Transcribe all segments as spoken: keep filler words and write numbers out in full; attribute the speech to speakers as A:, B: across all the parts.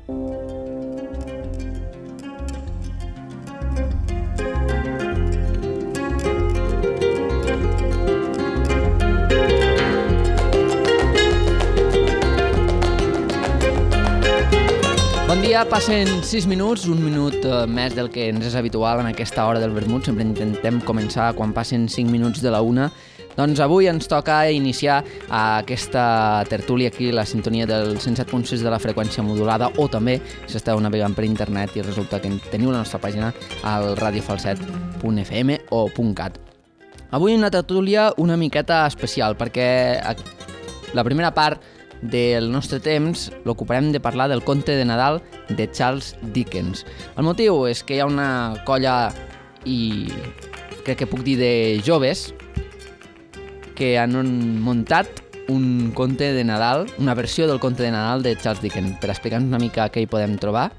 A: Bon dia, passen sis minuts, un minut més del que ens és habitual en aquesta hora del vermut. Sempre intentem començar quan passen cinc minuts de la una. Doncs avui ens toca iniciar aquesta tertúlia aquí, la sintonia del cent set punt sis de la freqüència modulada, o també si esteu navegant per internet i resulta que teniu la nostra pàgina al radiofalset punt f m o .cat. Avui una tertúlia una miqueta especial perquè la primera part del nostre temps l'ocuparem de parlar del conte de Nadal de Charles Dickens. El motiu és que hi ha una colla, i crec que puc dir de joves, que han muntat un conte de Nadal, una versió del conte de Nadal de Charles Dickens. Per explicar-nos una mica què hi podem trobar,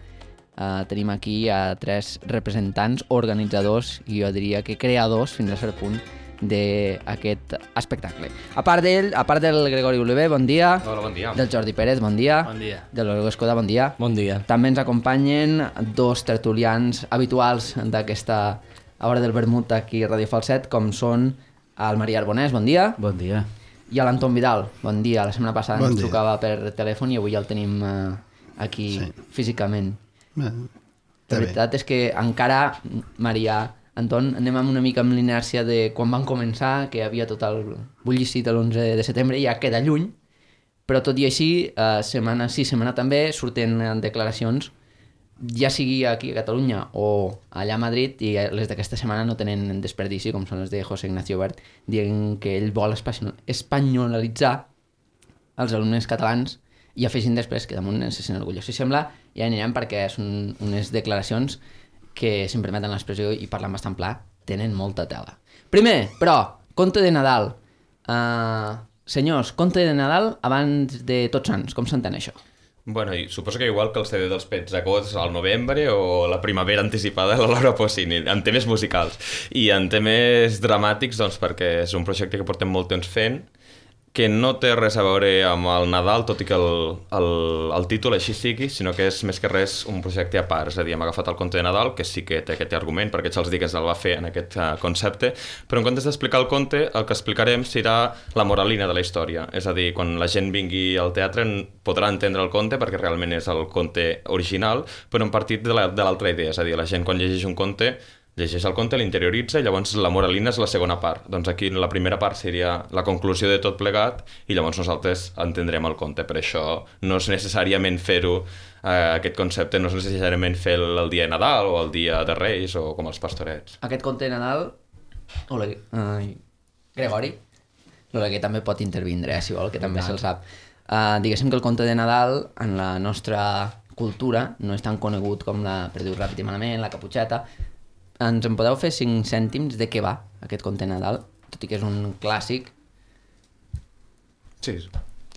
A: eh, tenim aquí a tres representants, organitzadors i jo diria que creadors fins a cert punt d'aquest espectacle. A part d'ell, a part del Gregori Oliver, bon dia.
B: Hola, bon dia.
A: Del Jordi Pérez, bon dia.
C: Bon dia.
A: De l'Olga Escoda, bon dia.
C: Bon dia.
A: També ens acompanyen dos tertulians habituals d'aquesta hora del vermut aquí a Radio Falset, com són el Maria Arbonès, bon dia.
C: Bon dia.
A: I l'Anton Vidal, bon dia. La setmana passada
D: bon
A: ens
D: dia.
A: trucava per telèfon i avui ja el tenim uh, aquí sí. físicament.
D: Bé,
A: La veritat bé. És que encara, Maria, Anton, anem amb una mica amb l'inèrcia de quan van començar, que hi havia tot el bullicit l'onze de setembre, ja queda lluny, però tot i així, eh, setmana sí, setmana també, surten declaracions, ja sigui aquí a Catalunya o allà a Madrid, i les d'aquesta setmana no tenen desperdici, com són les de José Ignacio Wert, dient que ell vol espanyolitzar els alumnes catalans i afegint després que damunt se sent orgullós. Si sembla, ja anirem perquè són unes declaracions que, si em permeten l'expressió i parlant bastant pla, tenen molta tela. Primer, però, conte de Nadal. Uh, senyors, conte de Nadal abans de Tots Sants. Com s'entén això?
B: Bueno, i suposo que igual que el C D dels Pezzacós al novembre o la primavera anticipada de la Laura Pausini, en temes musicals. I en temes dramàtics, doncs, perquè és un projecte que portem molt temps fent, que no té res a veure amb el Nadal, tot i que el, el, el títol així sigui, sinó que és més que res un projecte a part. És a dir, hem agafat el conte de Nadal, que sí que té aquest argument, perquè Charles Dickens el va fer en aquest uh, concepte, però en comptes d'explicar el conte, el que explicarem serà la moralina de la història. És a dir, quan la gent vingui al teatre podrà entendre el conte, perquè realment és el conte original, però en partit de l'altra idea. És a dir, la gent quan llegeix un conte llegeix el conte, l'interioritza i llavors la moralina és la segona part. Doncs aquí la primera part seria la conclusió de tot plegat i llavors nosaltres entendrem el conte. Per això no és necessàriament fer-ho, eh, aquest concepte, no és necessàriament fer el, el dia de Nadal o el dia de Reis o com els pastorets.
A: Aquest conte de Nadal... Hola, uh, Gregori, l'Oleguer també pot intervindre, eh, si vol, que també se'l sap. Uh, diguéssim que el conte de Nadal en la nostra cultura no és tan conegut com la, per dir-ho ràpid i malament, la Caputxeta. Ens en podeu fer cinc cèntims de què va aquest conte de Nadal? Tot i que és un clàssic.
B: Sí,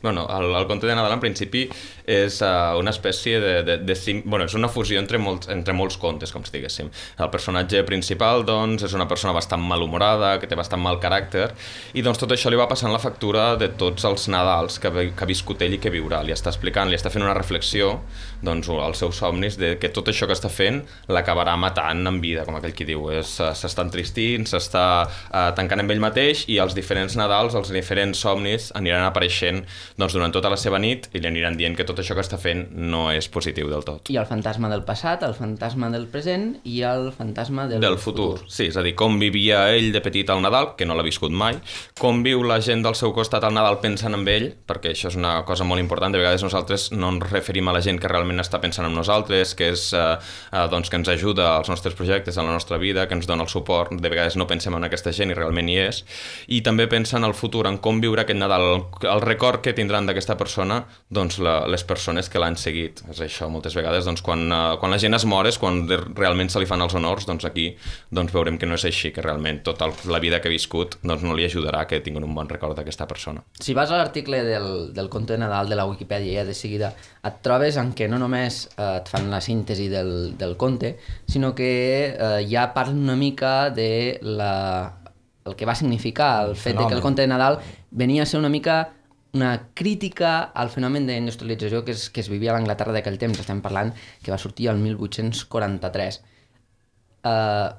B: bueno, el, el conte de Nadal en principi és uh, una espècie de, de, de sim... bueno, és una fusió entre molts, entre molts contes, com si diguéssim. El personatge principal, doncs, és una persona bastant malhumorada, que té bastant mal caràcter, i doncs tot això li va passant la factura de tots els Nadals que, que ha viscut ell i que viurà. Li està explicant, li està fent una reflexió, doncs, als seus somnis, de que tot això que està fent l'acabarà matant en vida, com aquell qui diu. S'està entristint, s'està uh, tancant amb ell mateix, i els diferents Nadals, els diferents somnis aniran apareixent doncs durant tota la seva nit i li aniran dient que tot això que està fent no és positiu del tot.
A: I el fantasma del passat, el fantasma del present i el fantasma del,
B: del futur. futur. Sí, és a dir, com vivia ell de petit al Nadal, que no l'ha viscut mai, com viu la gent del seu costat al Nadal pensant en ell, perquè això és una cosa molt important. De vegades nosaltres no ens referim a la gent que realment està pensant en nosaltres, que és eh, eh, doncs que ens ajuda als nostres projectes, a la nostra vida, que ens dona el suport. De vegades no pensem en aquesta gent i realment hi és. I també pensa en el futur, en com viure aquest Nadal, el, el record que tindran d'aquesta persona, doncs la, les persones que l'han seguit. És això, moltes vegades, doncs, quan, uh, quan la gent es mor és quan de, realment se li fan els honors, doncs aquí doncs, veurem que no és així, que realment tota la vida que ha viscut doncs, no li ajudarà que tinguin un bon record d'aquesta persona.
A: Si vas a l'article del, del conte de Nadal de la Wikipedia, ja de seguida et trobes en què no només eh, et fan la síntesi del, del conte, sinó que eh, ja parlen una mica de la, el que va significar el fet de que el conte de Nadal venia a ser una mica una crítica al fenomen d'industrialització que es, que es vivia a l'Anglaterra d'aquell temps. Estem parlant que va sortir el mil vuit-cents quaranta-tres. Uh,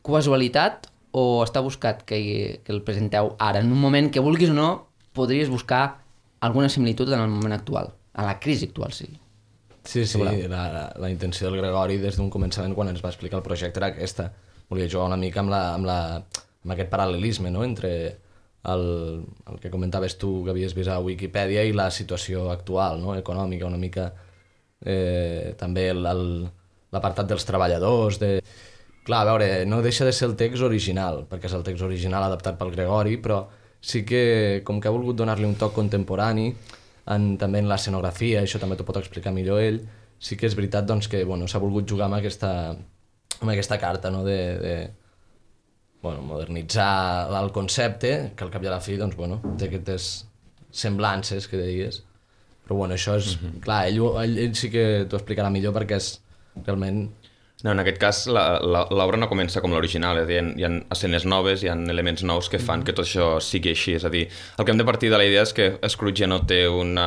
A: casualitat o està buscat que, que el presenteu ara, en un moment que vulguis o no, podries buscar alguna similitud en el moment actual, en la crisi actual, sí.
C: Sí, sí, la, la, la intenció del Gregori des d'un començament quan ens va explicar el projecte era aquesta. Volia jugar una mica amb, la, amb, la, amb aquest paral·lelisme, no?, entre el, el que comentaves tu que havies vist a Wikipedia i la situació actual, no?, econòmica, una mica eh, també l'apartat dels treballadors, de... Clar, a veure, no deixa de ser el text original, perquè és el text original adaptat pel Gregori, però sí que, com que ha volgut donar-li un toc contemporani, en, també en l'escenografia, això també t'ho pot explicar millor ell, sí que és veritat doncs, que bueno, s'ha volgut jugar amb aquesta, amb aquesta carta, no? de, de bueno, modernitzar el concepte, que al cap i a la fi doncs, bueno, té aquestes semblances que deies, però bueno, això és... Mm-hmm. Clar, ell, ell, ell sí que t'ho explicarà millor perquè és realment...
B: No, en aquest cas l'obra no comença com l'original, és a dir, hi ha escenes noves, hi ha elements nous que fan que tot això sigui així, és a dir, el que hem de partir de la idea és que Scrooge ja no té una...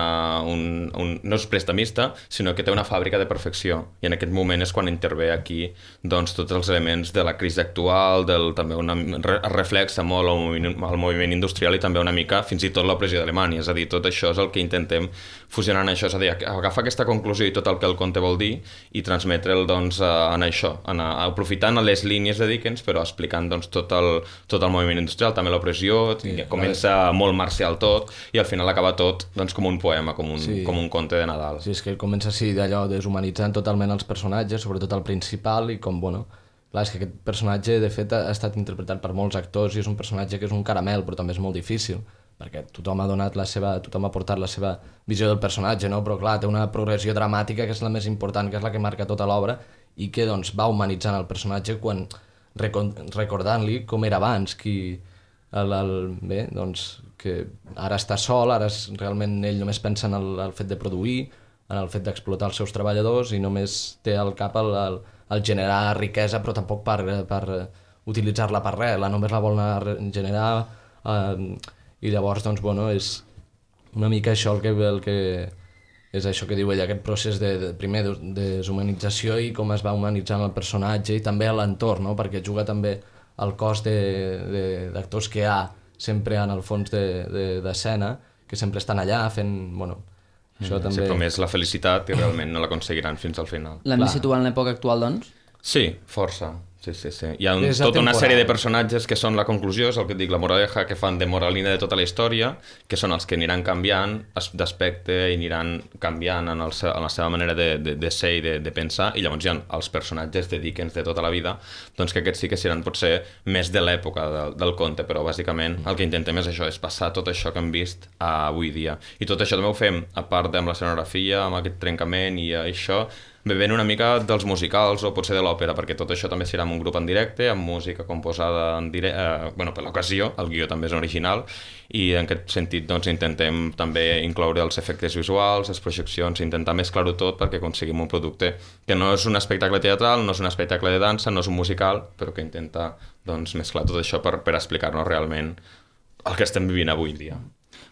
B: Un, un, no és prestamista, sinó que té una fàbrica de perfecció, i en aquest moment és quan intervé aquí doncs, tots els elements de la crisi actual, del, també una, es reflexa molt el moviment, el moviment industrial i també una mica fins i tot l'opressió d'Alemanya, és a dir, tot això és el que intentem fusionar en això, és a dir, agafar aquesta conclusió i tot el que el conte vol dir i transmetre'l doncs, en això, anar, aprofitant les línies de Dickens però explicant doncs, tot, el, tot el moviment industrial, també l'opressió, sí, comença molt marcial tot i al final acaba tot doncs, com un poema, com un, sí. com un conte de Nadal.
C: Sí, és que comença així d'allò deshumanitzant totalment els personatges, sobretot el principal, i com, bueno, clar, és que aquest personatge de fet ha estat interpretat per molts actors i és un personatge que és un caramel però també és molt difícil perquè tothom ha donat la seva, tothom ha portat la seva visió del personatge, no? Però clar, té una progressió dramàtica que és la més important, que és la que marca tota l'obra i que doncs, va humanitzant el personatge quan recordant-li com era abans, qui, el, el, bé, doncs, que ara està sol, ara és, realment ell només pensa en el, el fet de produir, en el fet d'explotar els seus treballadors i només té al cap el, el, el generar riquesa però tampoc per, per utilitzar-la per res, la només la vol anar generar eh, i llavors doncs, bueno, és una mica això el que, el que és això que diu ell, aquest procés de, de primer de deshumanització i com es va humanitzant el personatge i també l'entorn, no? Perquè juga també el cos d'actors que hi ha sempre en el fons d'escena, de, de, que sempre estan allà fent... Bueno, això mm, també...
B: Sempre més la felicitat i realment no l'aconseguiran fins al final.
A: L'hem de situar en l'època actual, doncs?
B: Sí, força. Sí, sí, sí. Hi ha un, tota una sèrie de personatges que són la conclusió, és el que et dic, la moraleja, que fan de moralina de tota la història, que són els que aniran canviant d'aspecte i aniran canviant en, el, en la seva manera de, de, de ser i de, de pensar, i llavors hi ha els personatges de Dickens de tota la vida, doncs que aquests sí que seran potser més de l'època del, del conte, però bàsicament el que intentem és això, és passar tot això que hem vist a avui dia. I tot això també ho fem, a part amb l'escenografia, amb aquest trencament i això, bevent una mica dels musicals o potser de l'òpera, perquè tot això també serà amb un grup en directe, amb música composada en dire... eh, bueno, per l'ocasió, el guió també és original, i en aquest sentit doncs, intentem també incloure els efectes visuals, les projeccions, intentar mesclar-ho tot perquè aconseguim un producte que no és un espectacle teatral, no és un espectacle de dansa, no és un musical, però que intenta doncs, mesclar tot això per, per explicar-nos realment el que estem vivint avui dia.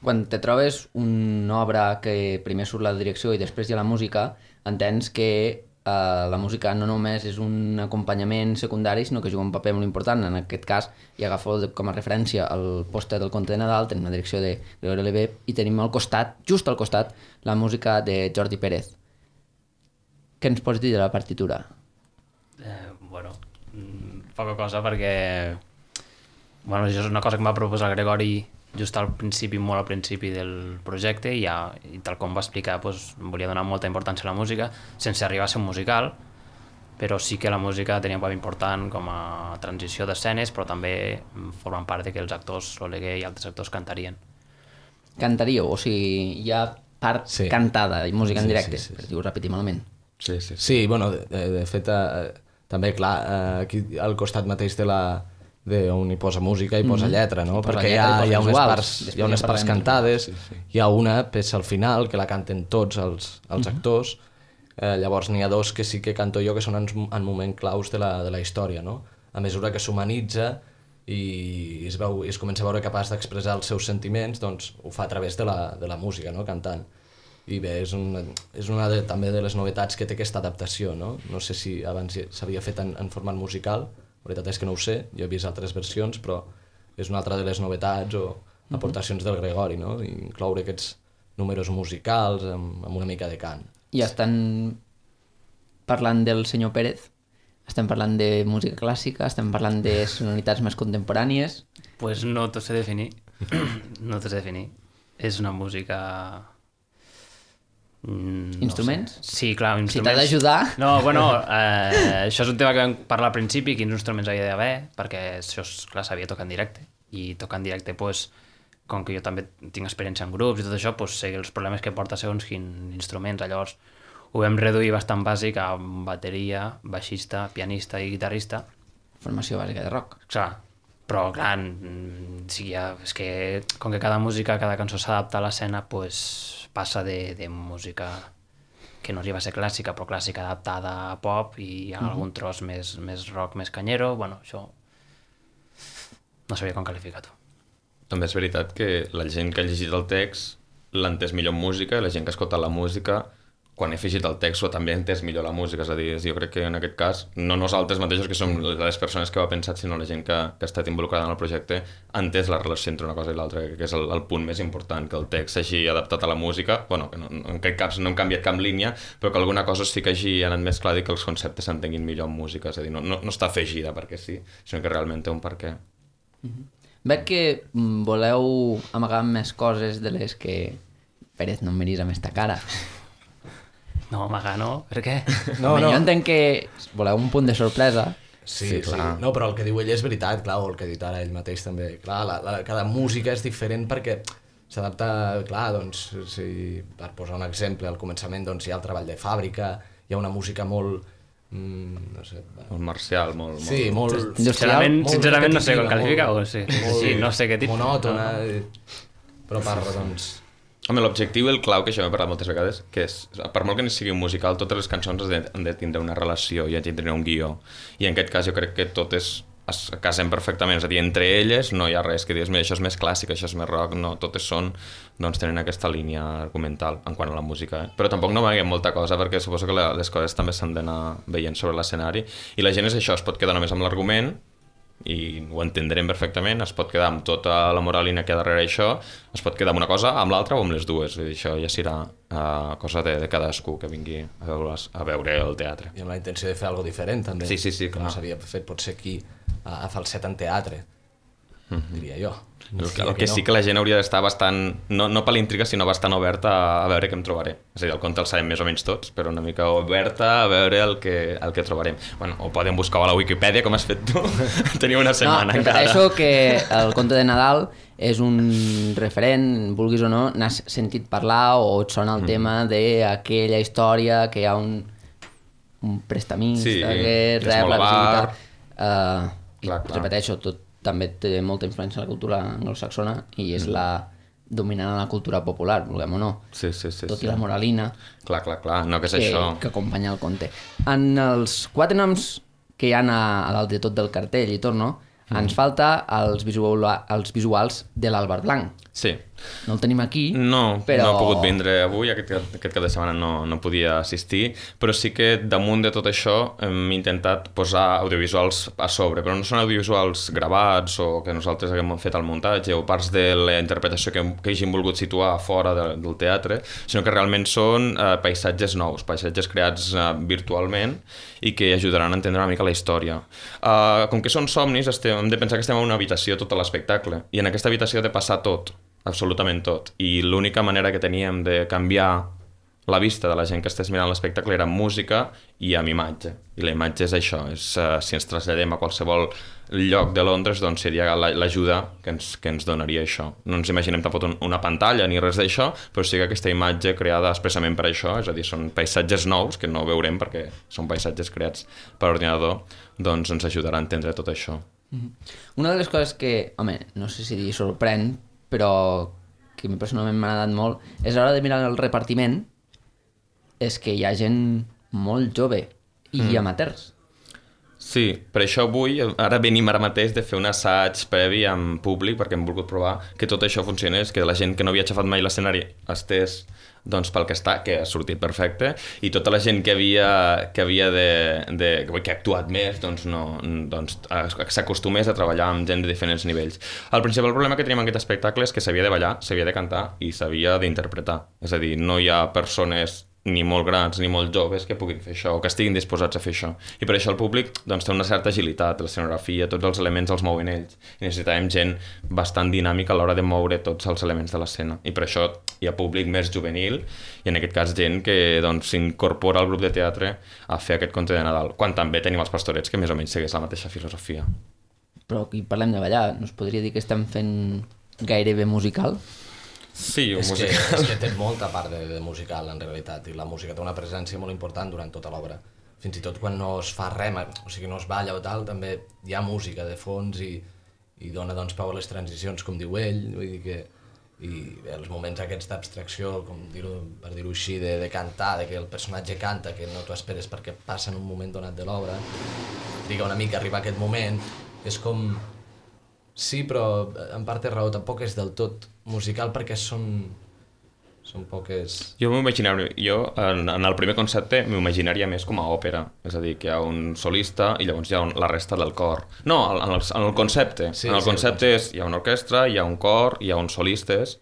A: Quan te trobes una obra que primer surt la direcció i després hi ha la música, entens que eh, la música no només és un acompanyament secundari, sinó que juga un paper molt important. En aquest cas, i agafo com a referència el pòster del conte de Nadal, tenim la direcció de Gregorio Levé i tenim al costat, just al costat, la música de Jordi Pérez. Què ens pots dir de la partitura?
D: Eh, bueno, poca cosa perquè bueno, això és una cosa que em va proposar Gregori just al principi, molt al principi del projecte i, ja, i tal com va explicar doncs, volia donar molta importància a la música sense arribar a ser un musical, però sí que la música tenia un paper important com a transició d'escenes, però també formen part de que els actors, l'Oleguer i altres actors cantarien.
A: Cantaríeu? O sigui, hi ha part sí. cantada i música en directe, sí, sí, sí, sí. Per dir-ho repetir malament.
C: Sí, sí, sí. Sí, bueno, de, de fet, eh, també, clar, eh, aquí al costat mateix de la on hi posa música i posa lletra, no? Posa perquè lletra, hi, ha, hi, ha unes parts, hi ha unes parts cantades, sí, sí. Hi ha una peça al final que la canten tots els, els uh -huh. actors, eh, llavors n'hi ha dos que sí que canto jo que són en, en moment claus de la, de la història, no? A mesura que s'humanitza i es, veu, i es comença a veure capaç d'expressar els seus sentiments, doncs ho fa a través de la, de la música, no? Cantant. I bé, és una, és una de, també de les novetats que té aquesta adaptació, no? No sé si abans s'havia fet en, en format musical, la veritat és que no ho sé, jo he vist altres versions, però és una altra de les novetats o aportacions del Gregori, no? I incloure aquests números musicals amb, amb una mica de cant.
A: I estan parlant del senyor Pérez, estem parlant de música clàssica, estem parlant de sonoritats més contemporànies.
D: Pues no t'ho sé definir, no t'ho sé definir. És una música... Mm,
A: Instruments?
D: No sé. Sí, clar, instruments.
A: Si t'ha d'ajudar...
D: No, bueno, eh, això és un tema que vam parlar al principi, quins instruments havia d'haver, perquè això, clar, s'havia tocat en directe. I tocar en directe, pues, com que jo també tinc experiència en grups i tot això, pues, sé els problemes que porta segons quins instruments. Llavors ho vam reduir bastant bàsic a bateria, baixista, pianista i guitarrista.
A: Formació bàsica de rock.
D: Clar, però clar, sí, ja, és que com que cada música, cada cançó s'adapta a l'escena, pues, passa de, de música que no arriba a ser clàssica, però clàssica adaptada a pop, i hi ha mm-hmm. algun tros més, més rock, més canyero. Bueno, això no sabia com qualificar-ho.
B: També és veritat que la gent que ha llegit el text l'ha entès millor en música, i la gent que ha escoltat la música, quan he afegit el text, o també ha entès millor la música. És a dir, jo crec que en aquest cas, no nosaltres mateixos que som les persones que ho ha pensat, sinó la gent que, que ha estat involucrada en el projecte, ha entès la relació entre una cosa i l'altra, que és el, el punt més important, que el text s'hagi adaptat a la música, bueno, que no, en aquest cas no hem canviat cap línia, però que alguna cosa sí que hagi anat més clar i que els conceptes s'entenguin millor en música. És a dir, no, no, no està afegida perquè sí, sinó que realment té un per què.
A: Mm-hmm. Veig que voleu amagar més coses de les que... Pérez, no em miris amb esta cara.
D: No, amagar no, per què?
C: No,
A: Home,
C: no.
A: Jo entenc que voleu un punt de sorpresa.
C: Sí,
B: Sí,
C: sí,
B: clar.
C: no, però el que diu ell és veritat, clar, o el que ha dit ara ell mateix també. Clar, la, la, cada música és diferent perquè s'adapta, clar, doncs, si, per posar un exemple, al començament doncs, hi ha el treball de fàbrica, hi ha una música molt... Mm, no sé...
B: Molt marcial, molt...
C: Sí, molt...
D: Sincerament,
C: molt
D: sincerament no sé com
C: repetitiva,
D: qualificar-ho, sí.
C: molt
D: Sí, no sé què dir.
C: monòtona,
D: No.
C: però parla, doncs...
B: Home, l'objectiu i el clau, que això m'he parlat moltes vegades, que és, per molt que no sigui un musical, totes les cançons han de, han de tindre una relació i han de tindre un guió. I en aquest cas jo crec que totes es casen perfectament, és a dir, entre elles no hi ha res que digues, mira, això és més clàssic, això és més rock, no, totes són, doncs tenen aquesta línia argumental en quant a la música. Eh? Però tampoc no m'aguem molta cosa, perquè suposo que la, les coses també s'han d'anar veient sobre l'escenari, i la gent és això, es pot quedar només amb l'argument, i ho entendrem perfectament, es pot quedar amb tota la moralina que hi ha darrere això, es pot quedar amb una cosa, amb l'altra o amb les dues. Vull dir, això ja serà uh, cosa de, de cadascú que vingui a veure, a veure el teatre.
C: I amb la intenció de fer alguna diferent, també.
B: Sí, sí, sí,
C: que
B: clar.
C: no s'havia fet potser aquí a, a falset en teatre, mm-hmm. diria jo.
B: El que, el que sí que la gent hauria d'estar bastant, no, no per l'intriga, sinó bastant oberta a, a veure què em trobaré. És a dir, el conte el sabem més o menys tots, però una mica oberta a veure el que, el que trobarem. Bueno, ho podem buscar a la Wikipedia, com has fet tu. Teniu una setmana
A: no,
B: encara.
A: No, que el conte de Nadal és un referent, vulguis o no, n'has sentit parlar o et sona el mm. tema d'aquella història que hi ha un, un prestamista
B: sí,
A: que rep la visita. Uh, I
B: clar, clar.
A: repeteixo, tot també té molta influència en la cultura anglosaxona i és mm. la dominant en la cultura popular, vulguem o no.
B: Sí, sí, sí,
A: tot
B: sí.
A: i la moralina
B: clar, clar, clar. No, que és
A: que,
B: això.
A: que acompanya el conte. En els quatre noms que hi ha a, a dalt de tot del cartell i tot, no? Mm. Ens falta els, visual, els visuals de l'Àlvar Blanc.
B: Sí.
A: No el tenim aquí,
B: No,
A: però...
B: no ha pogut vindre avui, aquest, aquest cap de setmana no, no podia assistir, però sí que damunt de tot això hem intentat posar audiovisuals a sobre, però no són audiovisuals gravats o que nosaltres haguem fet el muntatge o parts de la interpretació que, que hagin volgut situar fora de, del teatre, sinó que realment són eh, paisatges nous, paisatges creats eh, virtualment i que ajudaran a entendre una mica la història. Uh, com que són somnis, estem, hem de pensar que estem en una habitació tot l'espectacle, i en aquesta habitació ha de passar tot, absolutament tot, i l'única manera que teníem de canviar la vista de la gent que estés mirant l'espectacle era amb música i amb imatge, i la imatge és això, és, uh, si ens traslladem a qualsevol lloc de Londres, doncs seria l'ajuda que ens, que ens donaria això. No ens imaginem tampoc una pantalla ni res d'això, però sí que aquesta imatge creada expressament per això, és a dir, són paisatges nous que no veurem perquè són paisatges creats per ordinador, doncs ens ajudarà a entendre tot això.
A: Mm-hmm. Una de les coses que, home, no sé si dir sorprèn, però que a mi personalment m'ha agradat molt, és a l'hora de mirar el repartiment, és que hi ha gent molt jove i mm. amateurs.
B: Sí, per això avui, ara venim ara mateix de fer un assaig previ en públic, perquè hem volgut provar que tot això funcionés, que la gent que no havia aixafat mai l'escenari estés doncs pel que està, que ha sortit perfecte, i tota la gent que havia, que havia de, de, que ha actuat més, doncs, no, doncs s'acostumés a treballar amb gent de diferents nivells. El principal problema que tenim en aquest espectacle és que s'havia de ballar, s'havia de cantar i s'havia d'interpretar. És a dir, no hi ha persones ni molt grans ni molt joves que puguin fer això o que estiguin disposats a fer això. I per això el públic doncs, té una certa agilitat, l'escenografia, tots els elements els mouen ells. I necessitàvem gent bastant dinàmica a l'hora de moure tots els elements de l'escena. I per això hi ha públic més juvenil i en aquest cas gent que doncs, s'incorpora al grup de teatre a fer aquest conte de Nadal, quan també tenim els pastorets que més o menys segueix la mateixa filosofia.
A: Però aquí parlem de ballar, no es podria dir que estem fent gairebé musical?
B: Sí, un
C: és
B: musical.
C: Que, és que té molta part de, de musical, en realitat, i la música té una presència molt important durant tota l'obra. Fins i tot quan no es fa res, o sigui, no es balla o tal, també hi ha música de fons i, i dona doncs, peu a les transicions, com diu ell, vull dir que i els moments aquests d'abstracció, com dir-ho, per dir-ho així, de, de cantar, de que el personatge canta, que no t'ho esperes perquè passa en un moment donat de l'obra, triga una mica a arribar a aquest moment, és com... Sí, però en part té raó, tampoc és del tot musical perquè són, són poques...
B: Jo m'imaginaria, jo en, en el primer concepte m'imaginaria més com a òpera, és a dir, que hi ha un solista i llavors hi ha un, la resta del cor. No, en el, en el concepte, sí, en el sí, concepte és, hi ha una orquestra, hi ha un cor, hi ha uns solistes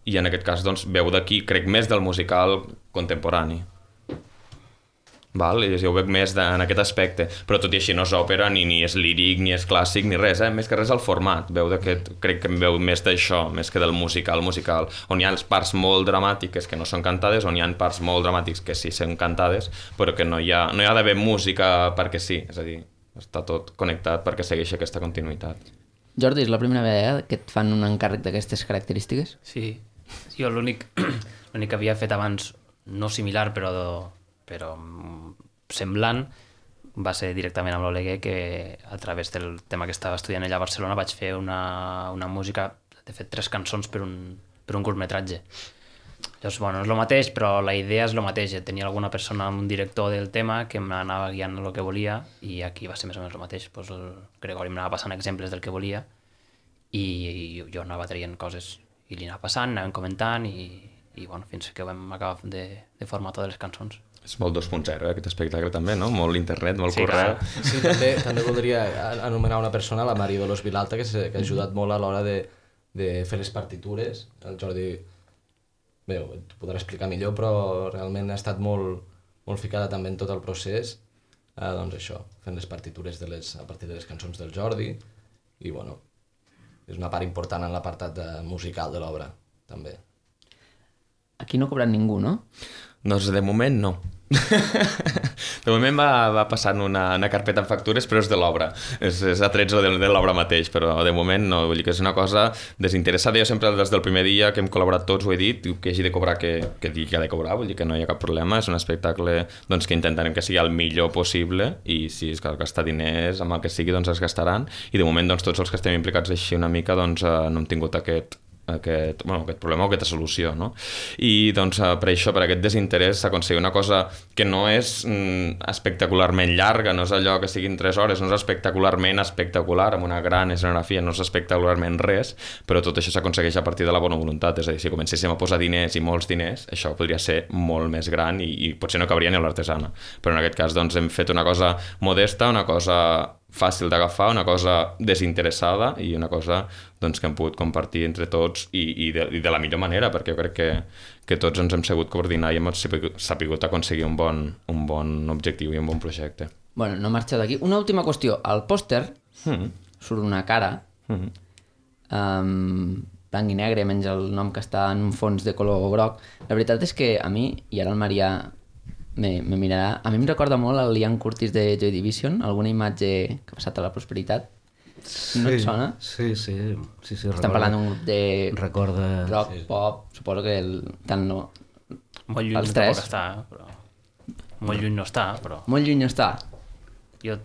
B: i en aquest cas doncs veu d'aquí, crec més del musical contemporani. Val? I jo ho veig més de, en aquest aspecte, però tot i així no és òpera, ni, ni és líric, ni és clàssic, ni res, eh? Més que res el format, veu d'aquest, crec que em veu més d'això, més que del musical musical, on hi ha les parts molt dramàtiques que no són cantades, on hi ha parts molt dramàtics que sí són cantades, però que no hi ha, no hi ha d'haver música perquè sí, és a dir, està tot connectat perquè segueixi aquesta continuïtat.
A: Jordi, és la primera vegada que et fan un encàrrec d'aquestes característiques?
D: Sí, jo l'únic l'únic que havia fet abans, no similar, però... però semblant, va ser directament amb l'Oleguer, que a través del tema que estava estudiant allà a Barcelona vaig fer una, una música, de fet tres cançons per un, per un curtmetratge. Llavors, bueno, és el mateix, però la idea és el mateix. Tenia alguna persona, un director del tema que m'anava guiant el que volia i aquí va ser més o menys el mateix. Pues el Gregori m'anava passant exemples del que volia i, i jo anava traient coses i li anava passant, anàvem comentant i, i bueno, fins que vam acabar de, de formar totes les cançons.
B: És molt dos punt zero, eh, aquest espectacle també, no? Molt internet, molt
D: sí,
B: correu.
D: Clar.
C: Sí, també, també voldria anomenar una persona, la Mari Dolors Vilalta, que, que ha ajudat molt a l'hora de, de fer les partitures. El Jordi, bé, t'ho podrà explicar millor, però realment ha estat molt, molt ficada també en tot el procés. Eh, doncs això, fent les partitures de les, a partir de les cançons del Jordi. I, bueno, és una part important en l'apartat musical de l'obra, també.
A: Aquí no ha cobrat ningú, no?
B: Doncs de moment no. De moment va, va passant una, una carpeta amb factures, però és de l'obra. És, és a trets de, de l'obra mateix, però de moment no. Vull dir que és una cosa desinteressada. Jo sempre, des del primer dia que hem col·laborat tots, ho he dit, que hagi de cobrar, que, que digui que ha de cobrar, vull dir que no hi ha cap problema. És un espectacle doncs, que intentarem que sigui el millor possible i si es cal gastar diners amb el que sigui, doncs es gastaran. I de moment doncs, tots els que estem implicats així una mica doncs, eh, no hem tingut aquest... Aquest, bueno, aquest problema o aquesta solució, no? I doncs per això, per aquest desinterès s'aconseguir una cosa que no és mm, espectacularment llarga, no és allò que siguin tres hores, no és espectacularment espectacular, amb una gran escenografia, no és espectacularment res, però tot això s'aconsegueix a partir de la bona voluntat, és a dir, si comencéssim a posar diners i molts diners, això podria ser molt més gran i, i potser no cabria ni a l'artesana, però en aquest cas doncs hem fet una cosa modesta, una cosa fàcil d'agafar, una cosa desinteressada i una cosa doncs, que hem pogut compartir entre tots i, i, de, i de la millor manera, perquè jo crec que, que tots ens hem sabut coordinar i hem sapigut aconseguir un bon, un bon objectiu i un bon projecte.
A: Bueno, no marxeu d'aquí. Una última qüestió. Al pòster mm. surt una cara mm. um, blanc i negre, menys el nom que està en un fons de color groc. La veritat és que a mi, i ara el Marià me, me mirarà, a mi em recorda molt el Ian Curtis de Joy Division, alguna imatge que ha passat a la prosperitat.
E: Sí,
A: no et sona?
E: Sí, sí. sí, sí
A: Estem parlant d'un grup de
E: recorda...
A: rock,
E: sí.
A: pop, suposo que el, tant no...
D: Molt lluny
A: els
D: tampoc
A: tres.
D: està, però... Molt lluny no està, però...
A: Molt lluny no està.
D: Jo...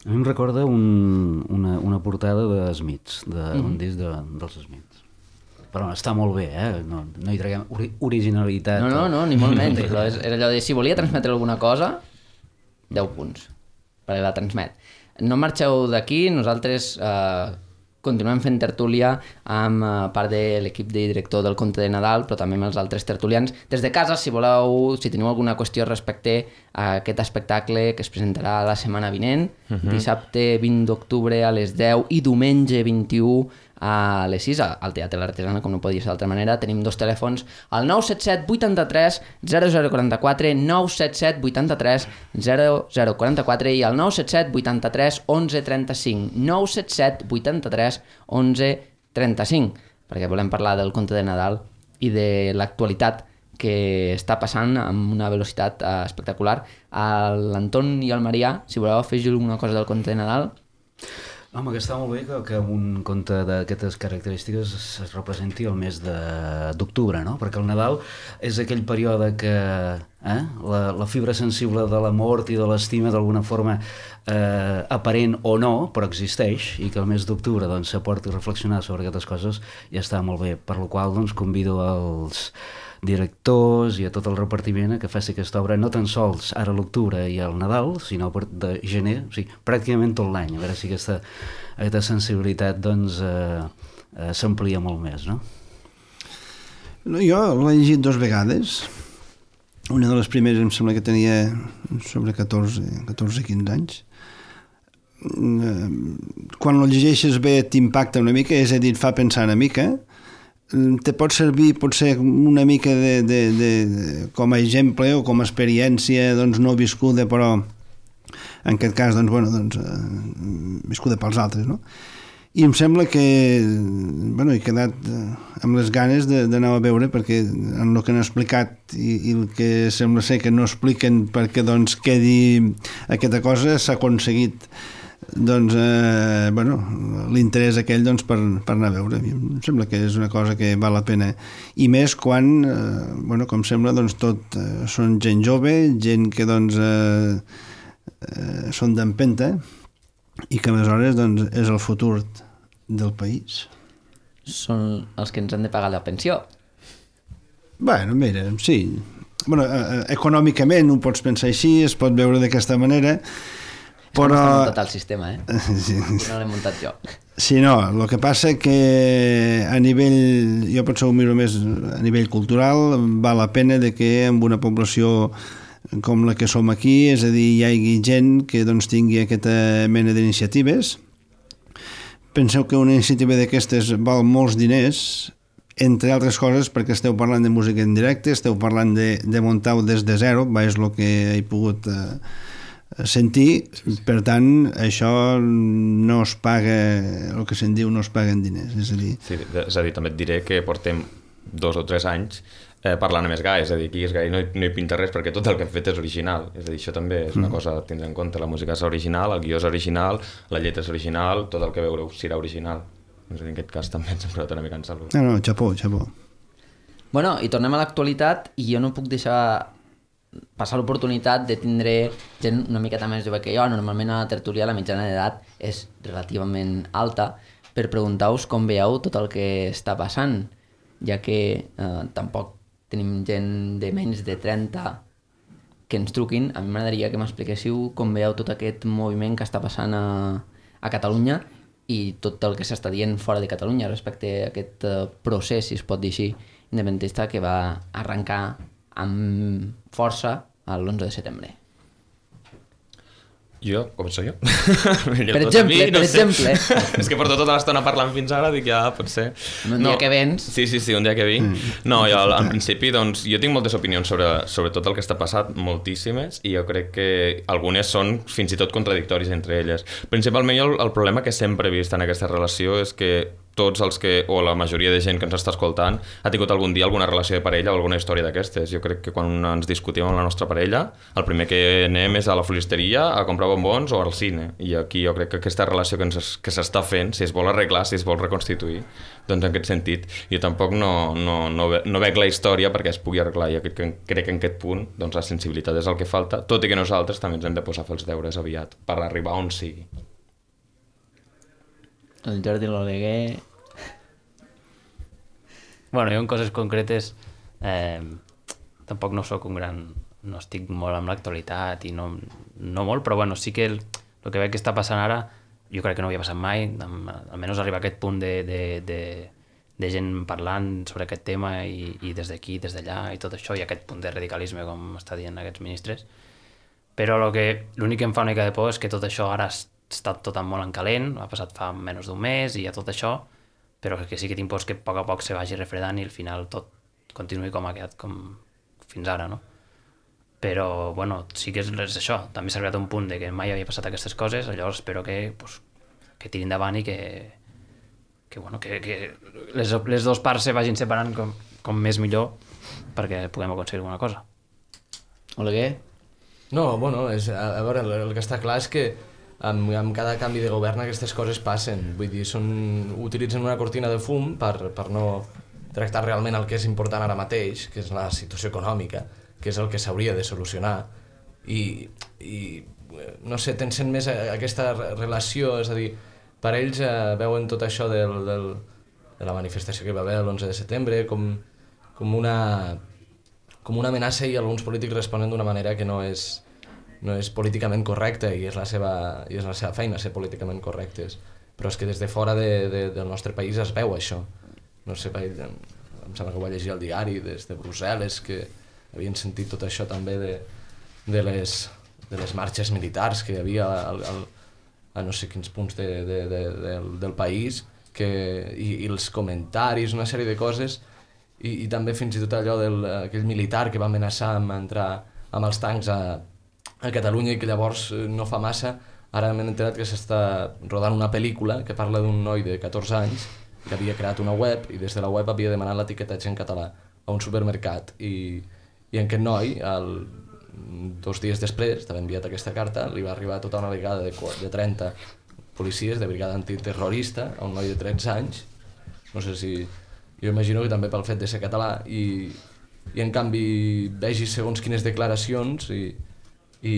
E: A mi em recorda un, una, una portada de Smiths, d'un de, mm. disc de, dels Smiths. Però està molt bé, eh? No, no hi traguem ori originalitat.
A: No, no, no, ni molt menys. Era allò de si volia transmetre alguna cosa, deu punts, perquè la transmet. no marxeu d'aquí, nosaltres eh, continuem fent tertúlia amb eh, part de l'equip de director del Conte de Nadal, però també amb els altres tertulians. Des de casa, si voleu, si teniu alguna qüestió respecte a aquest espectacle que es presentarà la setmana vinent, uh-huh. dissabte vint d'octubre a les deu i diumenge vint-i-u a les sis al Teatre l'Artesana, com no podia ser d'altra manera. Tenim dos telèfons, el nou set set vuitanta-tres zero zero quaranta-quatre, nou set set vuitanta-tres zero zero quaranta-quatre i el nou set set vuitanta-tres onze trenta-cinc, nou set set vuitanta-tres onze trenta-cinc, perquè volem parlar del Conte de Nadal i de l'actualitat que està passant amb una velocitat uh, espectacular. L'Anton i el Marià, si voleu afegir alguna cosa del Conte de Nadal.
E: Home, que està molt bé que, que un conte d'aquestes característiques es, es representi el mes d'octubre, no? Perquè el Nadal és aquell període que eh, la, la fibra sensible de la mort i de l'estima d'alguna forma eh, aparent o no, però existeix, i que el mes d'octubre doncs, s'aporti a reflexionar sobre aquestes coses ja està molt bé, per la qual doncs, convido els directors i a tot el repartiment a que faci aquesta obra no tan sols ara a l'octubre i al Nadal, sinó a partir de gener, o sigui, pràcticament tot l'any, a veure si aquesta, aquesta sensibilitat doncs, eh, eh, s'amplia molt més, no?
F: No, jo l'he llegit dues vegades. Una de les primeres em sembla que tenia sobre catorze, catorze quinze anys. Quan el llegeixes bé t'impacta una mica, és a dir, et fa pensar una mica. Te pot servir potser una mica de, de, de, com a exemple o com a experiència doncs, no viscuda, però en aquest cas doncs, bueno, doncs, eh, viscuda pels altres, no? I em sembla que bueno, he quedat amb les ganes d'anar a veure, perquè en el que han explicat i, i el que sembla ser que no expliquen perquè doncs, quedi aquesta cosa, s'ha aconseguit doncs, eh, bueno, l'interès aquell doncs, per, per anar a veure. Em sembla que és una cosa que val la pena. I més quan, eh, bueno, com sembla, doncs, tot eh, són gent jove, gent que doncs, eh, eh, són d'empenta i que aleshores doncs, és el futur del país.
A: Són els que ens han de pagar la pensió.
F: Bueno, mira, sí. Bueno, eh, econòmicament ho pots pensar així, es pot veure d'aquesta manera, però...
A: No està muntat el sistema, eh?
F: Sí.
A: No l'he muntat jo.
F: Sí, no, el que passa que a nivell, jo potser ho miro més a nivell cultural, val la pena de que amb una població com la que som aquí, és a dir, hi hagi gent que doncs, tingui aquesta mena d'iniciatives. Penseu que una iniciativa d'aquestes val molts diners, entre altres coses perquè esteu parlant de música en directe, esteu parlant de, de muntar-ho des de zero, va, és el que he pogut eh, sentir, per tant això no es paga, el que se'n diu no es paga en diners, és a dir...
B: Sí, és a dir, també et diré que portem dos o tres anys eh, parlant amb més gai, és a dir, aquí és gai, no, hi, no hi pinta res perquè tot el que hem fet és original, és a dir, això també és una mm. cosa a tindre en compte, la música és original, el guió és original, la lletra és original, tot el que veureu serà original, és a dir, en aquest cas també ens hem posat una mica en salut.
F: No, no, xapó, xapó.
A: Bueno, i tornem a l'actualitat i jo no puc deixar passar l'oportunitat de tindre gent una miqueta més jove que jo. Normalment a la tertúlia la mitjana d'edat és relativament alta, per preguntar-vos com veieu tot el que està passant, ja que eh, tampoc tenim gent de menys de trenta que ens truquin. A mi m'agradaria que m'expliquéssiu com veieu tot aquest moviment que està passant a, a Catalunya i tot el que s'està dient fora de Catalunya respecte a aquest uh, procés, si es pot dir així, independentista que va arrencar amb força l'onze de setembre.
B: Jo? Començo jo?
A: Per exemple, mi, no per sé. exemple.
B: És que porto tota l'estona parlant fins ara, dic ja, potser...
A: Un dia no. que vens...
B: Sí, sí, sí, un dia que vinc. Mm. No, jo en principi, doncs, jo tinc moltes opinions sobre, sobre tot el que està passat, moltíssimes, i jo crec que algunes són fins i tot contradictòries entre elles. Principalment el, el problema que sempre he vist en aquesta relació és que tots els que, o la majoria de gent que ens està escoltant, ha tingut algun dia alguna relació de parella o alguna història d'aquestes. Jo crec que quan ens discutim amb la nostra parella, el primer que anem és a la floristeria a comprar bombons o al cine. I aquí jo crec que aquesta relació que, ens, que s'està fent, si es vol arreglar, si es vol reconstituir, doncs en aquest sentit, jo tampoc no, no, no, ve, no veig la història perquè es pugui arreglar. Jo crec que, crec que en aquest punt doncs, la sensibilitat és el que falta, tot i que nosaltres també ens hem de posar a fer els deures aviat per arribar on sigui.
A: El Jordi l'Oleguer...
D: Bueno, jo en coses concretes eh, tampoc no sóc un gran... no estic molt amb l'actualitat i no, no molt, però bueno, sí que el, el que veig que està passant ara, jo crec que no havia passat mai, almenys arribar a aquest punt de, de, de, de gent parlant sobre aquest tema i, i des d'aquí, des d'allà i tot això, i aquest punt de radicalisme, com està dient aquests ministres. Però l'únic que em fa una mica de por és que tot això ara està tot molt en calent, ha passat fa menys d'un mes i ja tot això, però que sí que tinc por que a poc a poc se vagi refredant i al final tot continuï com ha quedat com fins ara, no? Però, bueno, sí que és, és això, també s'ha arribat a un punt de que mai havia passat aquestes coses, llavors espero que, pues, que tiri endavant i que, que, bueno, que, que les, les dues parts se vagin separant com, com més millor perquè puguem aconseguir alguna cosa.
A: Oleguer?
C: No, bueno, és, a, a veure, el, el que està clar és que amb, amb cada canvi de govern aquestes coses passen, vull dir, són, utilitzen una cortina de fum per, per no tractar realment el que és important ara mateix, que és la situació econòmica, que és el que s'hauria de solucionar, i, i no sé, tensen més aquesta relació, és a dir, per ells eh, veuen tot això del, del, de la manifestació que hi va haver l'onze de setembre com, com, una, com una amenaça, i alguns polítics responen d'una manera que no és, no és políticament correcta, i és la seva, i és la seva feina ser políticament correctes, però és que des de fora de, de, del nostre país es veu això. No sé, em, em sembla que ho vaig llegir al diari des de Brussel·les, que havien sentit tot això també de, de, les, de les marxes militars que hi havia al, al, a no sé quins punts de, de, de, del, del país, que, i, i els comentaris, una sèrie de coses, i, i també fins i tot allò d'aquell militar que va amenaçar amb entrar amb els tancs a, a Catalunya, i que llavors no fa massa, ara m'he enterat que s'està rodant una pel·lícula que parla d'un noi de catorze anys que havia creat una web, i des de la web havia demanat l'etiquetatge en català a un supermercat, i i en aquest noi, el, dos dies després d'haver enviat aquesta carta, li va arribar tota una brigada de, de trenta policies de brigada antiterrorista a un noi de tretze anys. No sé si... Jo imagino que també pel fet de ser català, i, i en canvi vegi segons quines declaracions, i, i,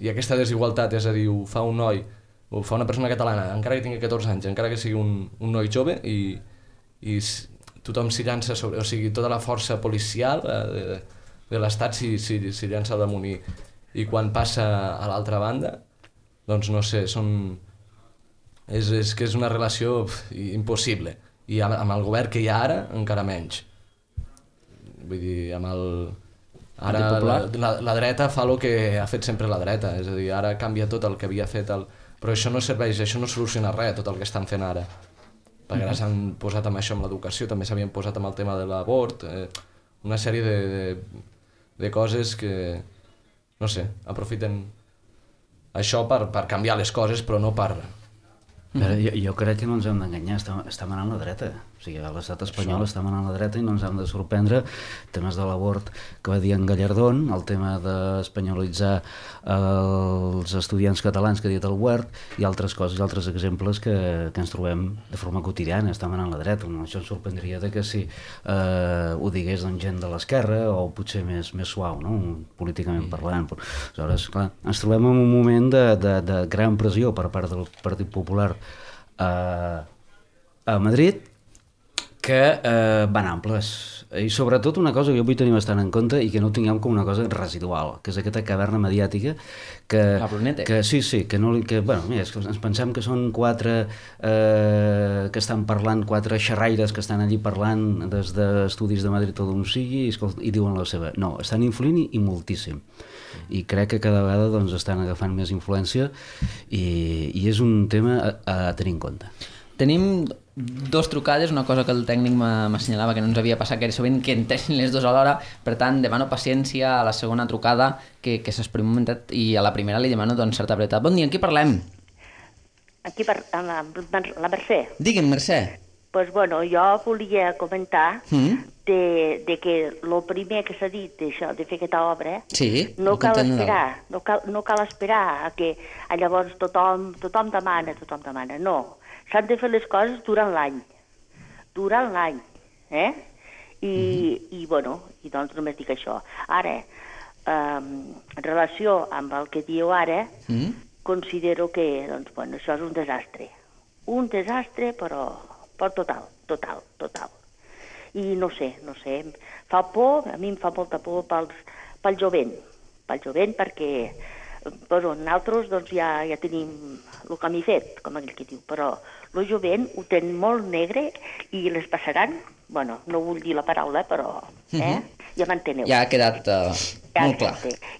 C: i aquesta desigualtat, és a dir, ho fa un noi, ho fa una persona catalana, encara que tingui catorze anys, encara que sigui un, un noi jove, i, i tothom s'hi llança sobre... O sigui, tota la força policial eh, de, de l'Estat s'hi si, si llança al damunt, i, i quan passa a l'altra banda, doncs no sé, són... És, és que és una relació pf, impossible, i amb, amb el govern que hi ha ara encara menys. Vull dir, amb el... Ara la, la, la dreta fa el que ha fet sempre la dreta, és a dir, ara canvia tot el que havia fet, el... però això no serveix, això no soluciona res, tot el que estan fent ara. Perquè ara s'han posat amb això, amb l'educació, també s'havien posat amb el tema de l'abort, eh, una sèrie de, de, de coses que, no sé, aprofiten això per, per canviar les coses, però no per...
E: Però jo, jo crec que no ens hem d'enganyar, està, està manant la dreta. O sigui, l'estat espanyol està manant la dreta, i no ens hem de sorprendre temes de l'abort que va dir en Gallardón, el tema d'espanyolitzar els estudiants catalans que ha dit el Huert, i altres coses, i altres exemples que, que ens trobem de forma quotidiana. Està manant la dreta. No? Això ens sorprendria de que si eh, ho digués doncs, gent de l'esquerra, o potser més, més suau, no? Políticament parlant. Però, aleshores, clar, ens trobem en un moment de, de, de gran pressió per part del Partit Popular a, a Madrid, que eh, van amples, i sobretot una cosa que jo vull tenir bastant en compte, i que no ho tinguem com una cosa residual, que és aquesta caverna mediàtica que, que sí, sí, que, no, que bueno, mira, és que ens pensem que són quatre eh, que estan parlant, quatre xerraires que estan allí parlant des d'estudis de Madrid o d'on sigui, i, escolta, i diuen la seva. No, estan influint, i, i moltíssim, i crec que cada vegada doncs, estan agafant més influència, i, i és un tema a, a tenir en compte.
A: Tenim dos trucades, una cosa que el tècnic m'assenyalava que no ens havia passat, que era sovint que entressin les dues a l'hora, per tant demano paciència a la segona trucada, que, que s'exprimi un momentet, i a la primera li demano doncs, certa brevetat. Bon dia, amb qui parlem?
G: Aquí per, amb la, la Mercè.
A: Digue'm, Mercè.
G: Pues bueno, jo volia comentar
A: mm?
G: de, de que el primer que s'ha dit d'això, de fer aquesta obra,
A: sí,
G: no cal esperar, no cal, no cal esperar a que a llavors tothom, tothom demana, tothom demana, no. S'han de fer les coses durant l'any, durant l'any, eh? I, mm-hmm. i bueno, i doncs només dic això. Ara, um, en relació amb el que diu ara, mm-hmm. considero que, doncs, bueno, això és un desastre. Un desastre, però, però total, total, total. I no sé, no sé, fa por, a mi em fa molta por pels, pel jovent, pel jovent perquè Però nosaltres doncs, ja, ja tenim el camí fet, com aquell que diu, però el jovent ho tenen molt negre i les passaran, bueno, no vull dir la paraula, però eh? uh-huh. ja m'enteneu.
A: Ja ha quedat uh,
G: ja
A: molt clar.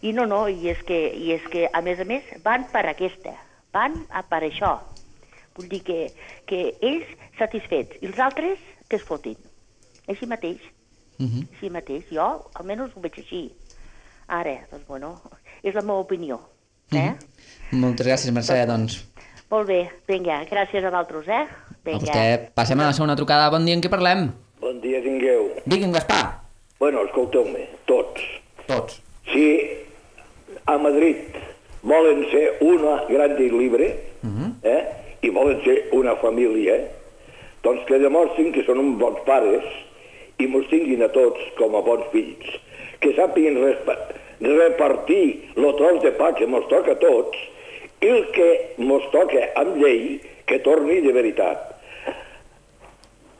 G: I no, no, i és, que, i és que, a més a més, van per aquesta, van a per això. Vull dir que, que ells satisfets i els altres que es fotin. Així mateix. Uh-huh. Així mateix. Jo, almenys, ho veig així. Ara, doncs, bueno, és la meva opinió. Eh?
A: Uh-huh. Moltes gràcies, Mercè, doncs.
G: Molt bé, vinga, gràcies a vosaltres, eh? Vinga.
A: A vostè. Passem a la segona trucada. Bon dia, en què parlem?
H: Bon dia, tingueu.
A: Digui'm, Gaspar.
H: Bueno, escolteu-me, tots.
A: Tots.
H: Si a Madrid volen ser una gran libre, uh-huh. eh? i volen ser una família, doncs que demostrin que són uns bons pares i mos tinguin a tots com a bons fills, que sàpiguen repartir el tros de pa que mos toca a tots i el que mos toca amb llei que torni de veritat.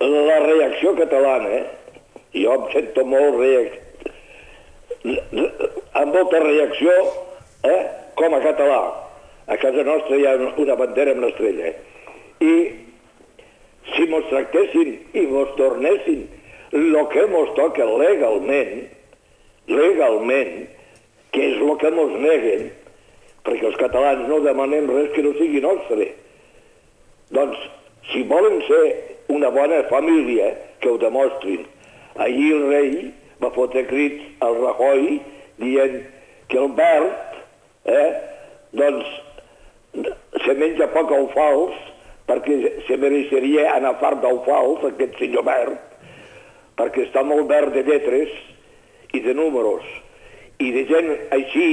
H: La reacció catalana, jo em sento molt reac... amb molta reacció eh, com a català. A casa nostra hi ha una bandera amb l'estrella. I si mos tractessin i mos tornessin el que mos toca legalment, legalment, que és el que mos neguen, perquè els catalans no demanem res que no sigui nostre. Doncs, si volen ser una bona família, que ho demostrin. Ahir el rei va fotre crits al Rajoy dient que el Bert, eh, doncs, se menja poc alfals perquè se mereixeria anar fart d'alfals, aquest senyor Bert, perquè està molt verd de lletres i de números. I de gent així,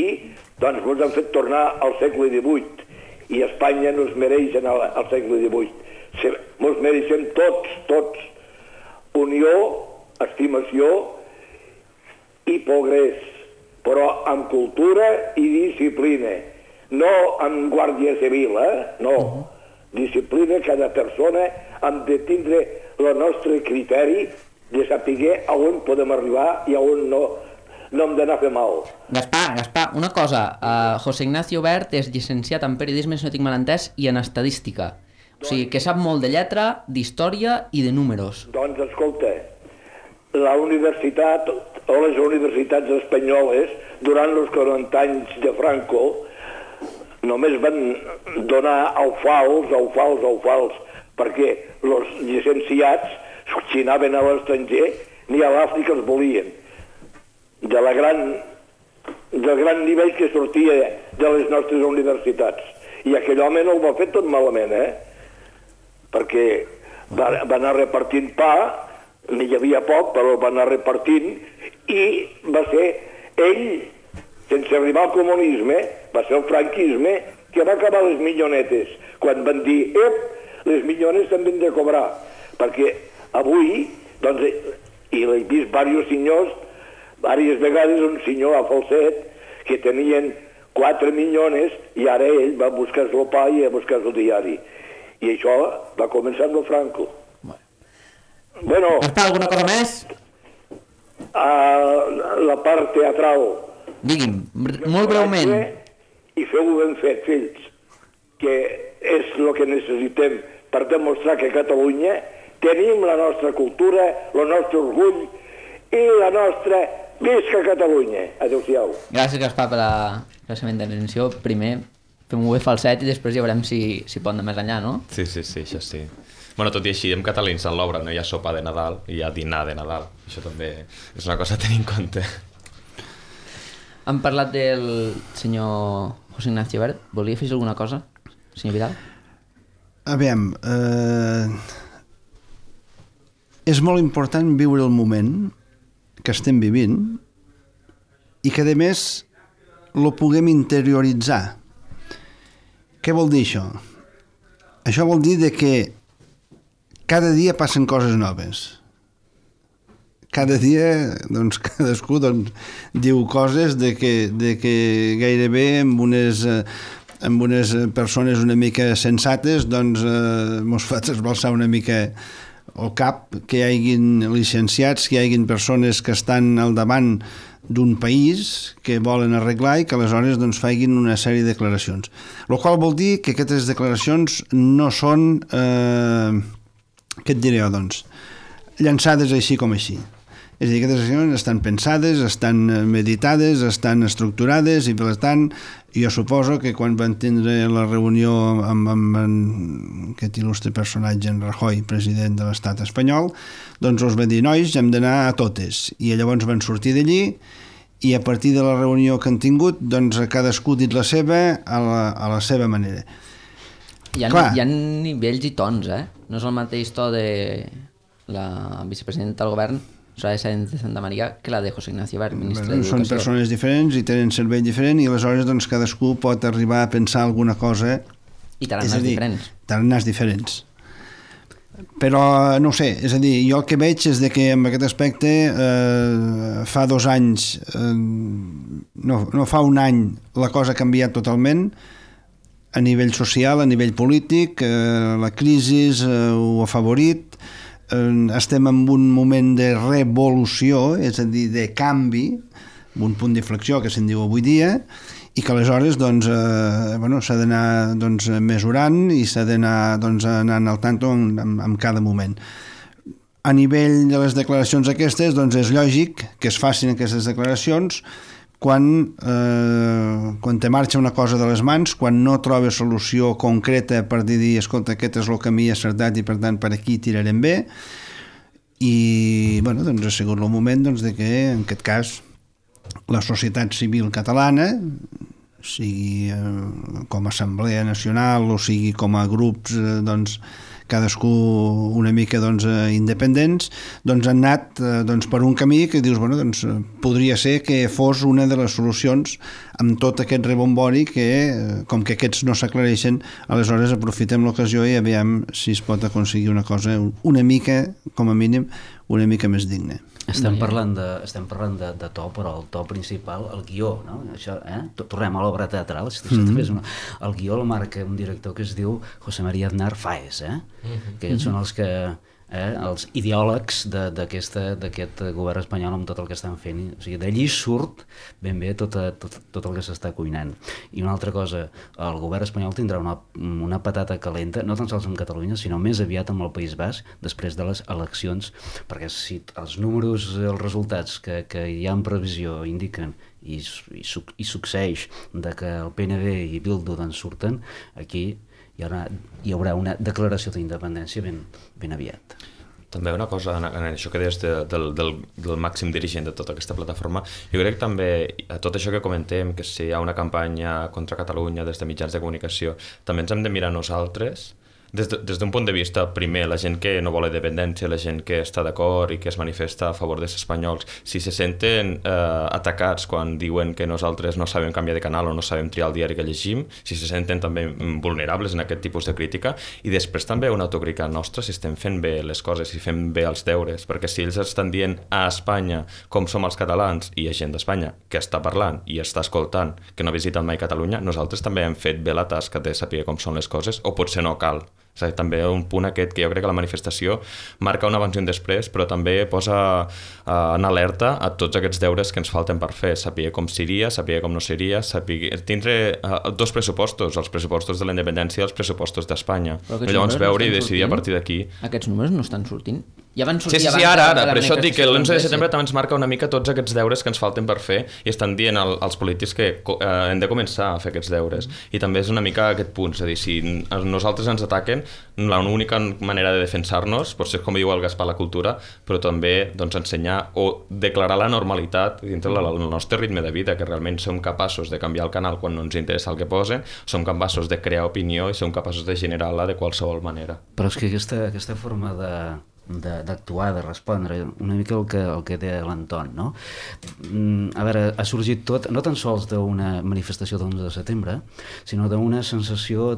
H: doncs ens han fet tornar al segle divuit i Espanya no es mereix anar al segle divuit. Ens mereixem tots, tots, unió, estimació i progrés, però amb cultura i disciplina. No amb guàrdia civil, eh? No. Uh-huh. Disciplina, cada persona hem de tindre el nostre criteri de saber a on podem arribar i a on no, no hem d'anar a fer mal.
A: Gaspar, Gaspar, una cosa. Uh, José Ignacio Bert és llicenciat en periodisme, si no tinc mal entès, i en estadística. O sigui, que sap molt de lletra, d'història i de números.
H: Doncs, escolta, la universitat, o les universitats espanyoles, durant els quaranta anys de Franco, només van donar alfals, alfals, alfals, perquè els llicenciats, si anaven a l'estranger, ni a l'Àfrica els volien. De la gran, del gran nivell que sortia de les nostres universitats. I aquell home no ho va fer tot malament, eh? Perquè va, va anar repartint pa, n'hi havia poc, però el va anar repartint, i va ser ell, sense arribar al comunisme, va ser el franquisme que va acabar les millonetes, quan van dir, ep, les millones també han de cobrar, perquè avui, doncs, i l'he vist diversos senyors, diverses vegades un senyor a Falset, que tenien quatre millones, i ara ell va buscar el pa i a buscar el diari. I això va començar amb el Franco. Bueno,
A: Gaspar, alguna cosa més?
H: A la part teatral.
A: Digui'm, molt breument.
H: I feu-ho ben fet, fills, que és el que necessitem per demostrar que a Catalunya tenim la nostra cultura, el nostre orgull i la nostra visca Catalunya. Adéu-siau.
A: Gràcies, Gaspar, per la, per la seva intervenció. Primer, fem-ho bé falset i després ja veurem si, si pot anar més enllà, no?
B: Sí, sí, sí, això sí. Bueno, tot i així, en català en l'obra no hi ha sopa de Nadal, hi ha dinar de Nadal. Això també és una cosa a tenir en compte.
A: Hem parlat del senyor José Ignacio Bert. Volia fer alguna cosa, senyor Vidal?
F: Aviam, eh, és molt important viure el moment que estem vivint i que, a més, lo puguem interioritzar. Què vol dir això? Això vol dir de que cada dia passen coses noves. Cada dia, doncs, cadascú doncs, diu coses de que, de que gairebé amb unes, amb unes persones una mica sensates doncs eh, mos fa trasbalsar una mica el cap, que hi hagin llicenciats, que hi hagin persones que estan al davant d'un país que volen arreglar i que aleshores doncs, facin una sèrie de declaracions. El qual vol dir que aquestes declaracions no són, eh, què et diré jo, doncs, llançades així com així. És a dir, aquestes accions estan pensades, estan meditades, estan estructurades i, per tant, jo suposo que quan van tindre la reunió amb, amb, amb aquest il·lustre personatge, en Rajoy, president de l'estat espanyol, doncs els va dir, nois, hem d'anar a totes. I llavors van sortir d'allí i a partir de la reunió que han tingut, doncs cadascú dit la seva a la, a la seva manera.
A: Hi ha, hi ha nivells i tons, eh? No és el mateix to de la vicepresidenta del govern, Soraya Sáenz de Santa María, que la de José Ignacio Wert, ministre d'Educació.
F: Són persones diferents i tenen cervell diferent i aleshores doncs, cadascú pot arribar a pensar alguna cosa...
A: I tarannàs diferents.
F: Tarannàs diferents. Però, no ho sé, és a dir, jo el que veig és de que en aquest aspecte eh, fa dos anys, eh, no, no fa un any, la cosa ha canviat totalment a nivell social, a nivell polític, eh, la crisi eh, ho ha favorit, estem en un moment de revolució, és a dir, de canvi, un punt d'inflexió que se'n diu avui dia, i que aleshores doncs, eh, bueno, s'ha d'anar doncs, mesurant i s'ha d'anar doncs, anant al tanto en, en, en cada moment. A nivell de les declaracions aquestes, doncs és lògic que es facin aquestes declaracions quan, eh, quan te marxa una cosa de les mans, quan no trobes solució concreta per dir, escolta, aquest és el camí acertat i per tant per aquí tirarem bé, i bueno, doncs ha sigut el moment doncs, de que en aquest cas la societat civil catalana, sigui eh, com a Assemblea Nacional o sigui com a grups eh, doncs, cadascú una mica doncs, independents, doncs han anat doncs, per un camí que dius, bueno, doncs, podria ser que fos una de les solucions amb tot aquest rebombori que, com que aquests no s'aclareixen, aleshores aprofitem l'ocasió i aviam si es pot aconseguir una cosa una mica, com a mínim, una mica més digna.
E: Estem parlant, de, estem parlant de, de to, però el to principal, el guió, no? Això, eh? Tornem a l'obra teatral. Mm-hmm. Una... El guió el marca un director que es diu José María Aznar Fáez, eh? Mm-hmm. que són els que eh, els ideòlegs d'aquest govern espanyol amb tot el que estan fent. O sigui, d'allí surt ben bé tot, tot, tot el que s'està cuinant. I una altra cosa, el govern espanyol tindrà una, una patata calenta, no tan sols amb Catalunya, sinó més aviat amb el País Basc, després de les eleccions, perquè si els números, els resultats que, que hi ha en previsió indiquen i, i, i succeeix de que el P N V i Bildu doncs surten, aquí hi haurà, hi haurà una declaració d'independència ben, ben aviat.
B: També una cosa, en, en això que deies de, del, del, del màxim dirigent de tota aquesta plataforma, jo crec que també a tot això que comentem, que si hi ha una campanya contra Catalunya des de mitjans de comunicació, també ens hem de mirar nosaltres, des d'un de, punt de vista, primer, la gent que no vol la independència, la gent que està d'acord i que es manifesta a favor dels espanyols, si se senten eh, atacats quan diuen que nosaltres no sabem canviar de canal o no sabem triar el diari que llegim, si se senten també vulnerables en aquest tipus de crítica, i després també una autocrítica nostra si estem fent bé les coses, si fem bé els deures, perquè si ells estan dient a Espanya com som els catalans i hi ha gent d'Espanya que està parlant i està escoltant, que no visiten mai Catalunya, nosaltres també hem fet bé la tasca de saber com són les coses, o potser no cal. És a dir, també un punt aquest que jo crec que la manifestació marca un abans i un després, però també posa eh, en alerta a tots aquests deures que ens falten per fer, saber com seria, saber com no seria, saber tindre eh, dos pressupostos, els pressupostos de la independència i els pressupostos d'Espanya. I llavors veure no i decidir sortint. A partir d'aquí.
A: Aquests números no estan sortint. Ja van sortir
B: sí, sí, sí, ara, ara, per això et dic que l'onze de setembre també ens marca una mica tots aquests deures que ens falten per fer i estan dient al, als polítics que eh, hem de començar a fer aquests deures. I també és una mica aquest punt, és a dir, si nosaltres ens ataquen, l'única manera de defensar-nos potser és com diu el Gaspar la cultura, però també doncs, ensenyar o declarar la normalitat dintre del nostre ritme de vida, que realment som capaços de canviar el canal quan no ens interessa el que posen, som capaços de crear opinió i som capaços de generar-la de qualsevol manera.
E: Però és que aquesta, aquesta forma de d'actuar, de, de respondre, una mica el que, el que té l'Anton, no? A veure, ha sorgit tot, no tan sols d'una manifestació de l'onze de setembre, sinó d'una sensació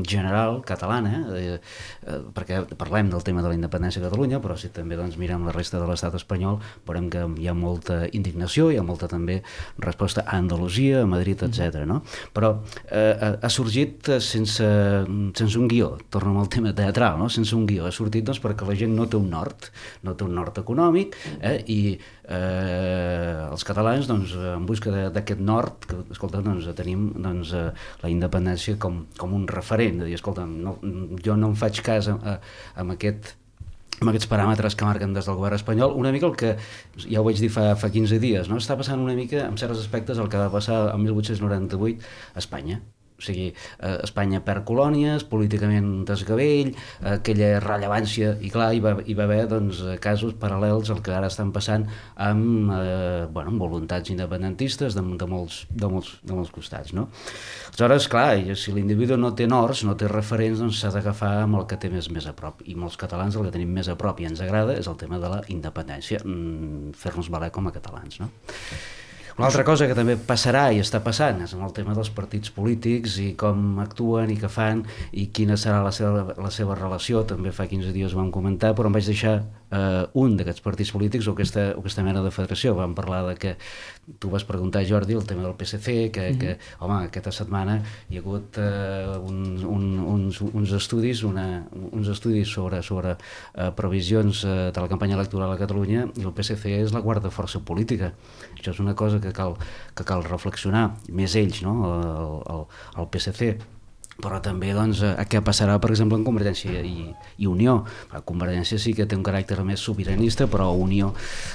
E: general catalana, eh, eh, perquè parlem del tema de la independència de Catalunya, però si també doncs, mirem la resta de l'estat espanyol, veurem que hi ha molta indignació, hi ha molta també resposta a Andalusia, a Madrid, etcètera. No? Però eh, ha sorgit sense, sense un guió, torno al tema teatral, no? Sense un guió, ha sortit doncs, perquè la gent no té un nord, no té un nord econòmic, eh, i eh, els catalans, doncs, en busca d'aquest nord, que, escolta, doncs, tenim doncs, eh, la independència com, com un referent, de dir, escolta, no, jo no em faig cas a, a, amb aquest amb aquests paràmetres que marquen des del govern espanyol, una mica el que, ja ho vaig dir fa, fa quinze dies, no? Està passant una mica, en certs aspectes, el que va passar el mil vuit-cents noranta-vuit a Espanya. O sigui, eh, Espanya perd colònies, políticament desgavell, eh, aquella rellevància, i clar, hi va, hi va haver doncs, casos paral·lels al que ara estan passant amb, eh, bueno, amb voluntats independentistes de, de, molts, de, molts, de molts costats, no? Aleshores, clar, si l'individu no té nords, no té referents, doncs s'ha d'agafar amb el que té més, més a prop. I molts catalans el que tenim més a prop i ens agrada és el tema de la independència, mm, fer-nos valer com a catalans, no? Una altra cosa que també passarà i està passant és en el tema dels partits polítics i com actuen i què fan i quina serà la seva, la seva relació. També fa quinze dies ho vam comentar, però em vaig deixar eh, un d'aquests partits polítics o aquesta, o aquesta mena de federació. Vam parlar de que tu vas preguntar, Jordi, el tema del P S C, que, mm-hmm. que home, aquesta setmana hi ha hagut eh, un, un, uns, uns estudis una, uns estudis sobre, sobre eh, previsions eh, de la campanya electoral a Catalunya, i el P S C és la quarta força política. Això és una cosa que cal, que cal reflexionar, més ells, no? el, el, el P S C, però també doncs, a què passarà, per exemple, en Convergència i, i Unió. La Convergència sí que té un caràcter més sobiranista, però Unió,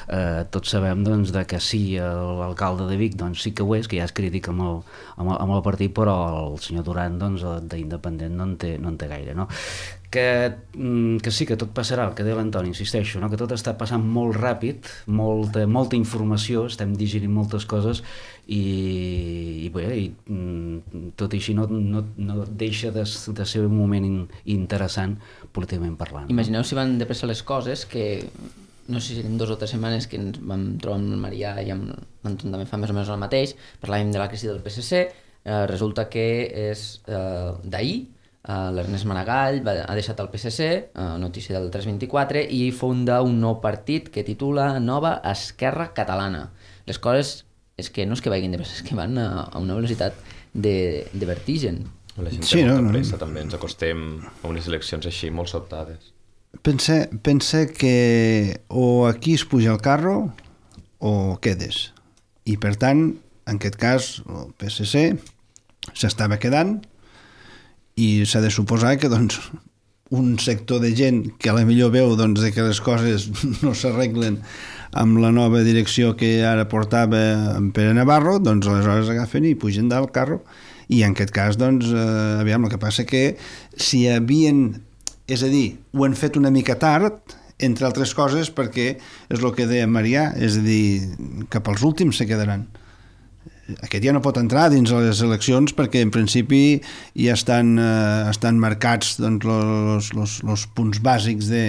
E: eh, tots sabem doncs, de que sí, l'alcalde de Vic doncs, sí que ho és, que ja és crític amb el, amb el, amb el partit, però el senyor Duran doncs, d'independent no en té, no en té gaire, no? Que, que sí, que tot passarà, el que deia l'Antoni, insisteixo, no? Que tot està passant molt ràpid, molta, molta informació, estem digerint moltes coses i, i, bé, i tot i així no, no, no deixa de, de ser un moment in, interessant políticament parlant.
A: Imagineu si van de pressa les coses, que no sé si en dues o tres setmanes que ens vam trobar amb el Marià i amb l'Anton també fa més o menys el mateix, parlàvem de la crisi del P S C, eh, resulta que és eh, d'ahir. Uh, l'Ernest Maragall va, ha deixat el P S C, uh, notícia del tres vint-i-quatre, i funda un nou partit que titula Nova Esquerra Catalana. Les coses és que no és que vagin de pressa, és que van a, a una velocitat de, de vertigen.
B: La gent
F: sí,
B: té molta
F: no,
B: pressa,
F: no.
B: també ens acostem a unes eleccions així molt sobtades.
F: Pensa, pensa que o aquí es puja el carro o quedes. I per tant, en aquest cas, el P S C s'estava quedant, i s'ha de suposar que doncs, un sector de gent que a la millor veu doncs, que les coses no s'arreglen amb la nova direcció que ara portava en Pere Navarro, doncs aleshores agafen i pugen del carro. I en aquest cas, doncs, eh, aviam, el que passa que si havien, és a dir, ho han fet una mica tard, entre altres coses, perquè és el que deia Marià, és a dir, cap als últims se quedaran. Aquest ja no pot entrar dins les eleccions perquè en principi ja estan, eh, estan marcats doncs, los, los, los punts bàsics de,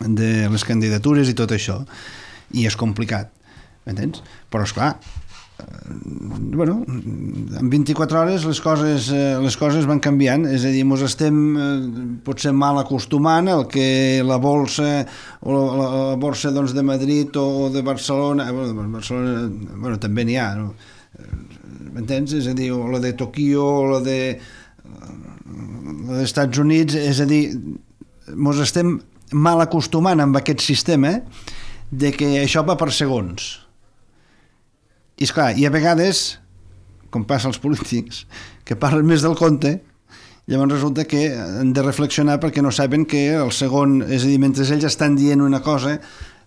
F: de les candidatures i tot això, i és complicat, m'entens? Però esclar, eh, bueno, en vint-i-quatre hores les coses, eh, les coses van canviant, és a dir, ens estem eh, potser mal acostumant al que la bolsa o la, la bolsa doncs, de Madrid o de Barcelona, bueno, Barcelona bueno, també n'hi ha, no? M'entens? És a dir, o la de Tòquio o la de la dels Estats Units, és a dir, ens estem mal acostumant amb aquest sistema de que això va per segons. I esclar, i a vegades, com passa als polítics, que parlen més del compte, llavors resulta que han de reflexionar perquè no saben que el segon, és a dir, mentre ells estan dient una cosa,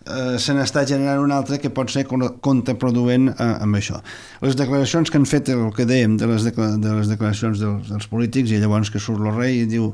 F: eh, se n'està generant una altra que pot ser contraproduent eh, amb això. Les declaracions que han fet, el que dèiem de les, decla de les declaracions dels, dels polítics, i llavors que surt el rei i diu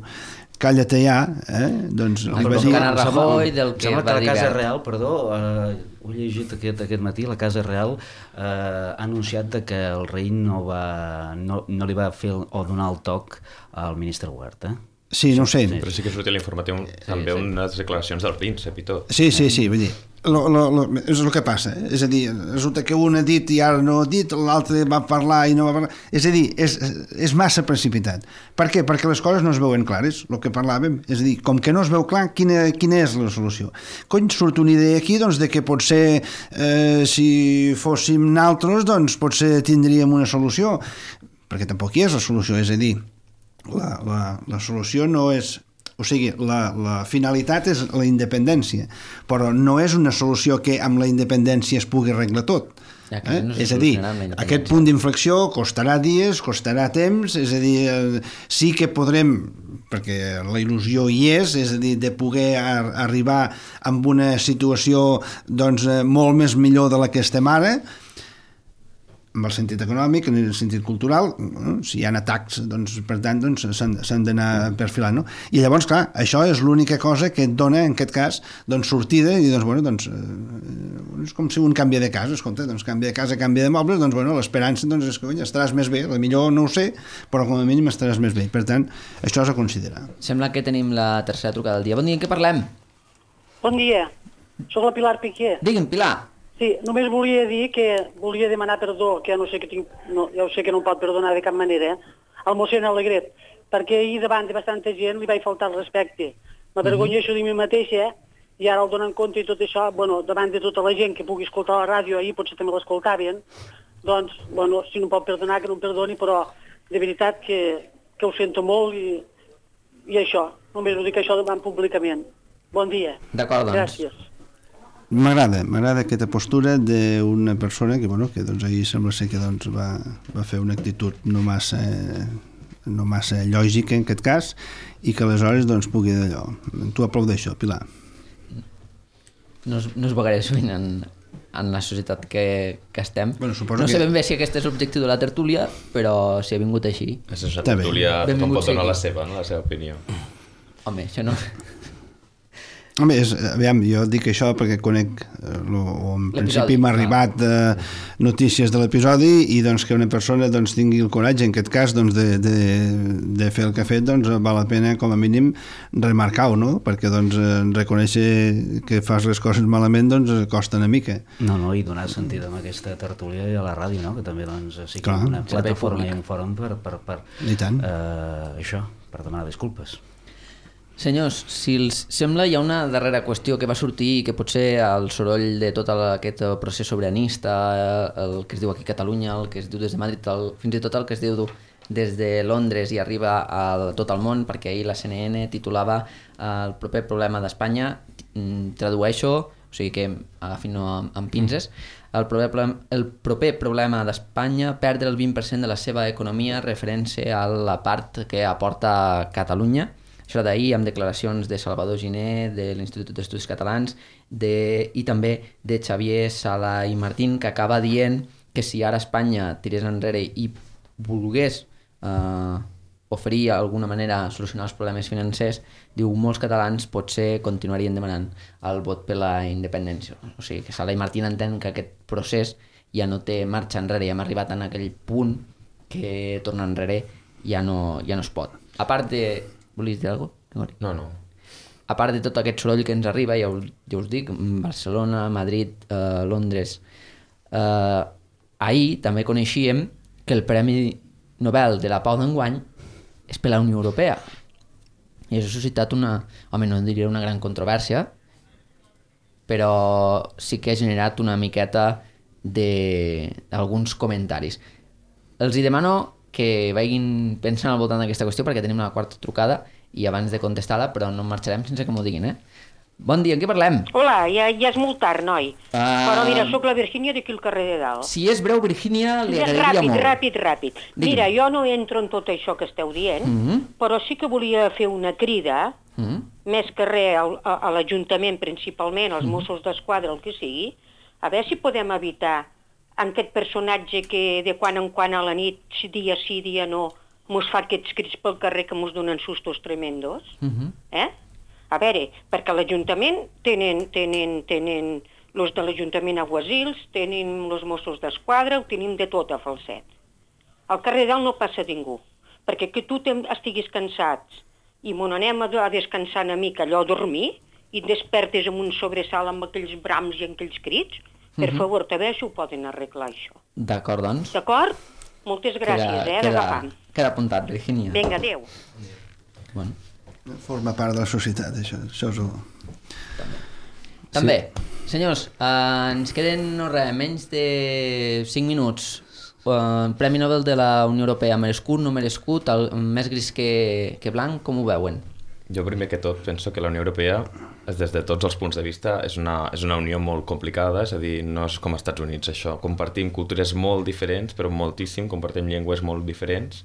F: calla-te ja, eh? Doncs
A: no, li va dir... Rajoy del que
E: sembla
A: va
E: que la Casa
A: dir
E: Real, perdó, eh, ho he llegit aquest, aquest matí, la Casa Real eh, ha anunciat de que el rei no, va, no, no li va fer o donar el toc al ministre Huerta.
F: Sí, no ho sé.
B: Però sí que surt a l'informatiu també sí, sí. unes declaracions del príncep i tot.
F: Sí, sí, sí, vull dir, lo, lo, lo, és el que passa, eh? És a dir, resulta que un ha dit i ara no ha dit, l'altre va parlar i no va parlar, és a dir, és, és massa precipitat. Per què? Perquè les coses no es veuen clares, el que parlàvem, és a dir, com que no es veu clar, quina, quina és la solució? Cony, surt una idea aquí, doncs, de que potser eh, si fóssim naltros, doncs potser tindríem una solució, perquè tampoc hi és la solució, és a dir, La, la, la solució no és O sigui, la, la finalitat és la independència, però no és una solució que amb la independència es pugui arreglar tot.
A: Ja, eh? No
F: és a dir, aquest punt d'inflexió costarà dies, costarà temps, és a dir, eh, sí que podrem, perquè la il·lusió hi és, és a dir, de poder ar arribar amb una situació doncs, molt més millor de la que estem ara, en el sentit econòmic, en el sentit cultural, no? Si hi ha atacs, doncs, per tant, doncs, s'han d'anar perfilant. No? I llavors, clar, això és l'única cosa que et dona, en aquest cas, doncs, sortida i, doncs, bueno, doncs, eh, és com si un canvia de casa, escolta, doncs, canvia de casa, canvia de mobles, doncs, bueno, l'esperança doncs, és que oi, estaràs més bé, millor no ho sé, però com a mínim estaràs més bé. Per tant, això és a considerar.
A: Sembla que tenim la tercera trucada del dia. Bon dia, en què parlem?
I: Bon dia, soc la Pilar Piqué.
A: Digue'm, Pilar.
I: Sí, només volia dir que volia demanar perdó, que ja no sé que tinc, no, ja ho sé que no em pot perdonar de cap manera, eh? Al mossèn Alegret, perquè ahir davant de bastanta gent li vaig faltar el respecte. M'avergonyeixo de mi mateixa, eh? I ara el donen compte i tot això, bueno, davant de tota la gent que pugui escoltar la ràdio, ahir potser també l'escoltaven, doncs, bueno, si no em pot perdonar, que no em perdoni, però de veritat que, que ho sento molt i, i això, només ho dic això davant públicament. Bon dia.
A: D'acord, doncs.
I: Gràcies.
F: M'agrada, m'agrada aquesta postura d'una persona que, bueno, que doncs, ahir sembla ser que doncs, va, va fer una actitud no massa, no massa lògica en aquest cas i que aleshores doncs, pugui d'allò. Tu aplaudeixo, Pilar.
A: No es, no es veuré sovint en, en la societat que, que estem.
F: Bueno,
A: no sé
F: que...
A: ben bé si aquest és l'objectiu de la tertúlia, però si ha vingut així...
B: És la tertúlia, tothom pot donar la seva, no? La seva opinió.
A: Home, això no...
F: Home, és, aviam, jo dic això perquè conec, eh, lo, o en principi m'ha arribat eh, notícies de l'episodi i doncs que una persona doncs, tingui el coratge, en aquest cas, doncs, de, de, de fer el que ha fet, doncs val la pena com a mínim remarcar-ho, no? Perquè doncs, reconèixer que fas les coses malament doncs costa una mica.
E: No, no, i donar sentit amb aquesta tertúlia i a la ràdio, no? Que també doncs, sí que
F: Clar.
E: una plataforma i un fòrum per, per, per
F: I tant.
E: Eh, això, per demanar disculpes.
A: Senyors, si els sembla, hi ha una darrera qüestió que va sortir i que potser el soroll de tot aquest procés sobiranista, el que es diu aquí a Catalunya, el que es diu des de Madrid, el, fins i tot el que es diu des de Londres i arriba a tot el món, perquè ahir la C N N titulava el proper problema d'Espanya, tradueixo, o sigui que agafin-ho amb pinces, el proper, el proper problema d'Espanya perdre el vint per cent de la seva economia referència a la part que aporta Catalunya. Això d'ahir amb declaracions de Salvador Giner, de l'Institut d'Estudis Catalans de, i també de Xavier Sala i Martín, que acaba dient que si ara Espanya tirés enrere i volgués eh, oferir d'alguna manera solucionar els problemes financers, diu molts catalans potser continuarien demanant el vot per la independència. O sigui que Sala i Martín entenen que aquest procés ja no té marxa enrere, ja hem arribat en aquell punt que tornar enrere ja no, ja no es pot. A part de... Volies dir alguna cosa?
B: No, no.
A: A part de tot aquest soroll que ens arriba, ja us, ja us dic, Barcelona, Madrid, eh, Londres, eh, ahir també coneixíem que el Premi Nobel de la Pau d'enguany és per la Unió Europea. I això ha suscitat una, home, no diria una gran controvèrsia, però sí que ha generat una miqueta d'alguns comentaris. Els hi demano que vagin pensant al voltant d'aquesta qüestió perquè tenim la quarta trucada i abans de contestar-la, però no marxarem sense que m'ho diguin, eh? Bon dia, en què parlem?
J: Hola, ja, ja és molt tard, noi.
A: Uh...
J: Però mira, sóc la Virgínia d'aquí al carrer de dalt.
A: Si és breu, Virgínia, li
J: ja,
A: agradaria
J: ràpid,
A: molt.
J: Ràpid, ràpid, ràpid. Mira, jo no entro en tot això que esteu dient, uh -huh. però sí que volia fer una crida, uh -huh. més que res a, a, a l'Ajuntament principalment, als uh -huh. Mossos d'Esquadra, el que sigui, a veure si podem evitar en aquest personatge que de quan en quan a la nit, dia sí, dia no, mos fa aquests crits pel carrer que mos donen sustos tremendos, uh-huh. eh? A veure, perquè l'Ajuntament tenen, tenen, tenen los de l'Ajuntament aguasils, tenen els Mossos d'Esquadra, ho tenim de tot a Falset. Al carrer dalt no passa ningú, perquè que tu estiguis cansats i mon anem a descansar una mica, allò a dormir, i et despertes amb un sobresalt amb aquells brams i aquells crits, per favor, també això ho poden arreglar, això.
A: D'acord, doncs.
J: D'acord? Moltes gràcies,
A: queda,
J: eh, d'agafant.
A: Queda apuntat, Virgínia.
J: Vinga, adéu.
A: Bueno.
F: Forma part de la societat, això. Això és el...
A: També. També. Sí. Senyors, eh, ens queden, no res, menys de cinc minuts. Eh, Premi Nobel de la Unió Europea, merescut, no merescut, el, més gris que, que blanc, com ho veuen?
B: Jo primer que tot penso que la Unió Europea, des de tots els punts de vista, és una, és una unió molt complicada, és a dir, no és com als Estats Units això. Compartim cultures molt diferents, però moltíssim, compartim llengües molt diferents,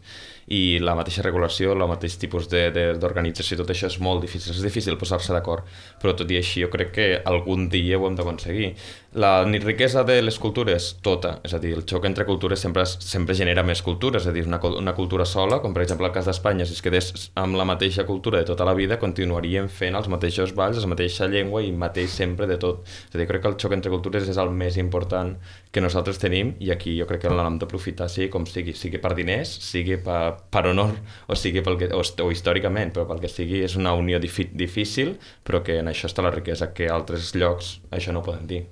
B: i la mateixa regulació, el mateix tipus d'organització, tot això és molt difícil, és difícil posar-se d'acord, però tot i així jo crec que algun dia ho hem d'aconseguir. La riquesa de les cultures, tota, és a dir, el xoc entre cultures sempre, sempre genera més cultures, és a dir, una, una cultura sola, com per exemple el cas d'Espanya, si es quedés amb la mateixa cultura de tota la vida, continuaríem fent els mateixos balls, la mateixa llengua i mateix sempre de tot. És a dir, crec que el xoc entre cultures és el més important que nosaltres tenim, i aquí jo crec que l'hem d'aprofitar, sigui com sigui, sigui per diners, sigui per, per honor, o sigui pel que, o, o històricament, però pel que sigui és una unió difícil, però que en això està la riquesa, que altres llocs això no ho poden dir.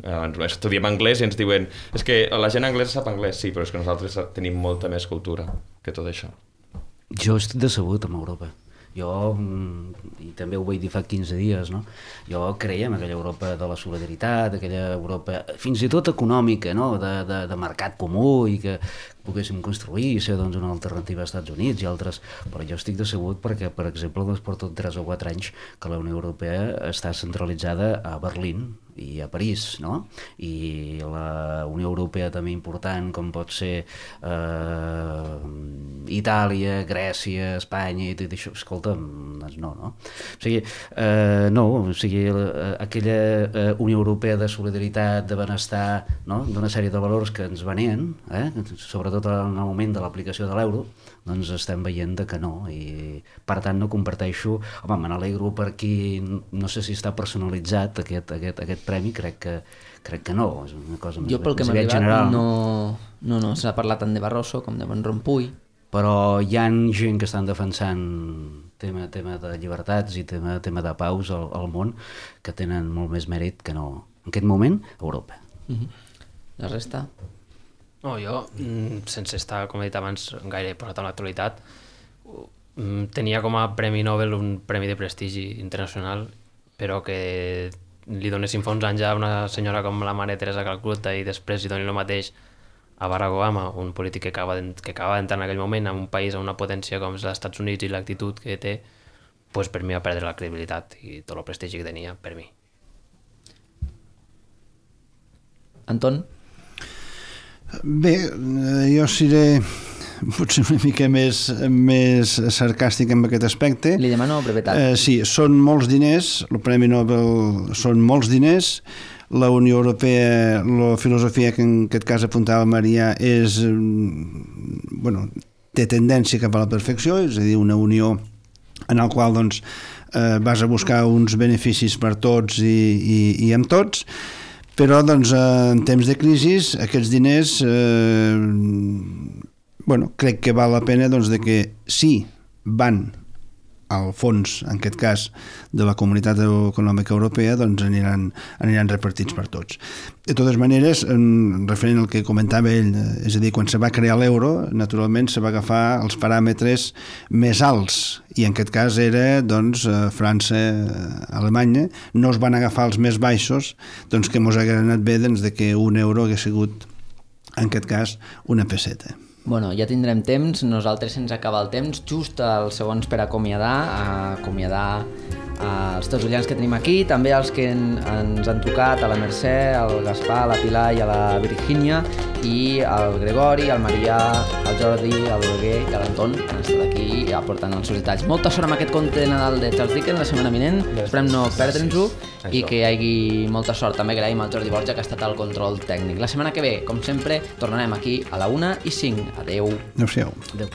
B: Estudiem anglès i ens diuen és que la gent anglesa sap anglès, sí, però és que nosaltres tenim molta més cultura que tot això.
E: Jo estic decebut amb Europa. Jo, i també ho vaig dir fa quinze dies, no? Jo creia en aquella Europa de la solidaritat, aquella Europa fins i tot econòmica, no? de, de, de mercat comú, i que poguéssim construir i ser doncs, una alternativa als Estats Units i altres, però jo estic decebut perquè, per exemple, doncs, porto tres o quatre anys que la Unió Europea està centralitzada a Berlín i a París, no? I la Unió Europea també important, com pot ser eh, Itàlia, Grècia, Espanya i tot això, escolta'm, doncs no, no? O sigui, eh, no, o sigui, aquella eh, Unió Europea de solidaritat, de benestar, no? D'una sèrie de valors que ens venien, eh? Sobretot en el moment de l'aplicació de l'euro, doncs estem veient que no, i per tant no comparteixo, home, me n'alegro per qui, no sé si està personalitzat aquest, aquest, aquest premi, crec que, crec que no, és una cosa més,
A: jo pel que m'ha arribat general. no, no, no s'ha parlat tant de Barroso com de Van Rompuy,
E: però hi ha gent que estan defensant tema, tema de llibertats i tema, tema de paus al, al món que tenen molt més mèrit que no, en aquest moment, Europa.
A: Uh-huh. La resta?
D: No, jo, sense estar, com he dit abans, gaire posat en l'actualitat, tenia com a Premi Nobel un premi de prestigi internacional, però que li donessin fa uns anys a una senyora com la Mare Teresa Calcuta i després li donin el mateix a Barack Obama, un polític que acaba d'entrar en aquell moment en un país, en una potència com els Estats Units i l'actitud que té, pues per mi va perdre la credibilitat i tot el prestigi que tenia, per mi.
A: Anton?
F: Bé, jo seré potser una mica més, més sarcàstic en aquest aspecte.
A: Li demano brevetat.
F: Eh, sí, són molts diners, el Premi Nobel són molts diners, la Unió Europea, la filosofia que en aquest cas apuntava Marià és, bueno, té tendència cap a la perfecció, és a dir, una unió en la qual doncs, eh, vas a buscar uns beneficis per tots i, i, i amb tots, però doncs, en temps de crisi aquests diners eh, bueno, crec que val la pena doncs, de que sí van al fons, en aquest cas de la Comunitat Econòmica Europea, doncs aniran, aniran repartits per tots. De totes maneres, en, referent al que comentava ell, és a dir, quan se va crear l'euro, naturalment se va agafar els paràmetres més alts, i en aquest cas era doncs, França, Alemanya, no es van agafar els més baixos, doncs que mos hagués anat bé doncs, de que un euro hagués sigut, en aquest cas, una peseta.
A: Bueno, ja tindrem temps, nosaltres se'ns acaba el temps, just els segons per acomiadar, acomiadar els tertulians que tenim aquí, també els que en, ens han trucat, a la Mercè, al Gaspar, a la Pilar i a la Virgínia, i al Gregori, al Marià, al Jordi, al Roger i a l'Anton, que han estat aquí aportant els seus detalls. Molta sort amb aquest conte de Nadal de Charles Dickens la setmana vinent, esperem no perdre'ns-ho i que hi hagi molta sort. També agraïm al Jordi Borja, que ha estat al control tècnic. La setmana que ve, com sempre, tornarem aquí a la una i cinc. Adeu.
F: Adéu-siau.
E: Adéu.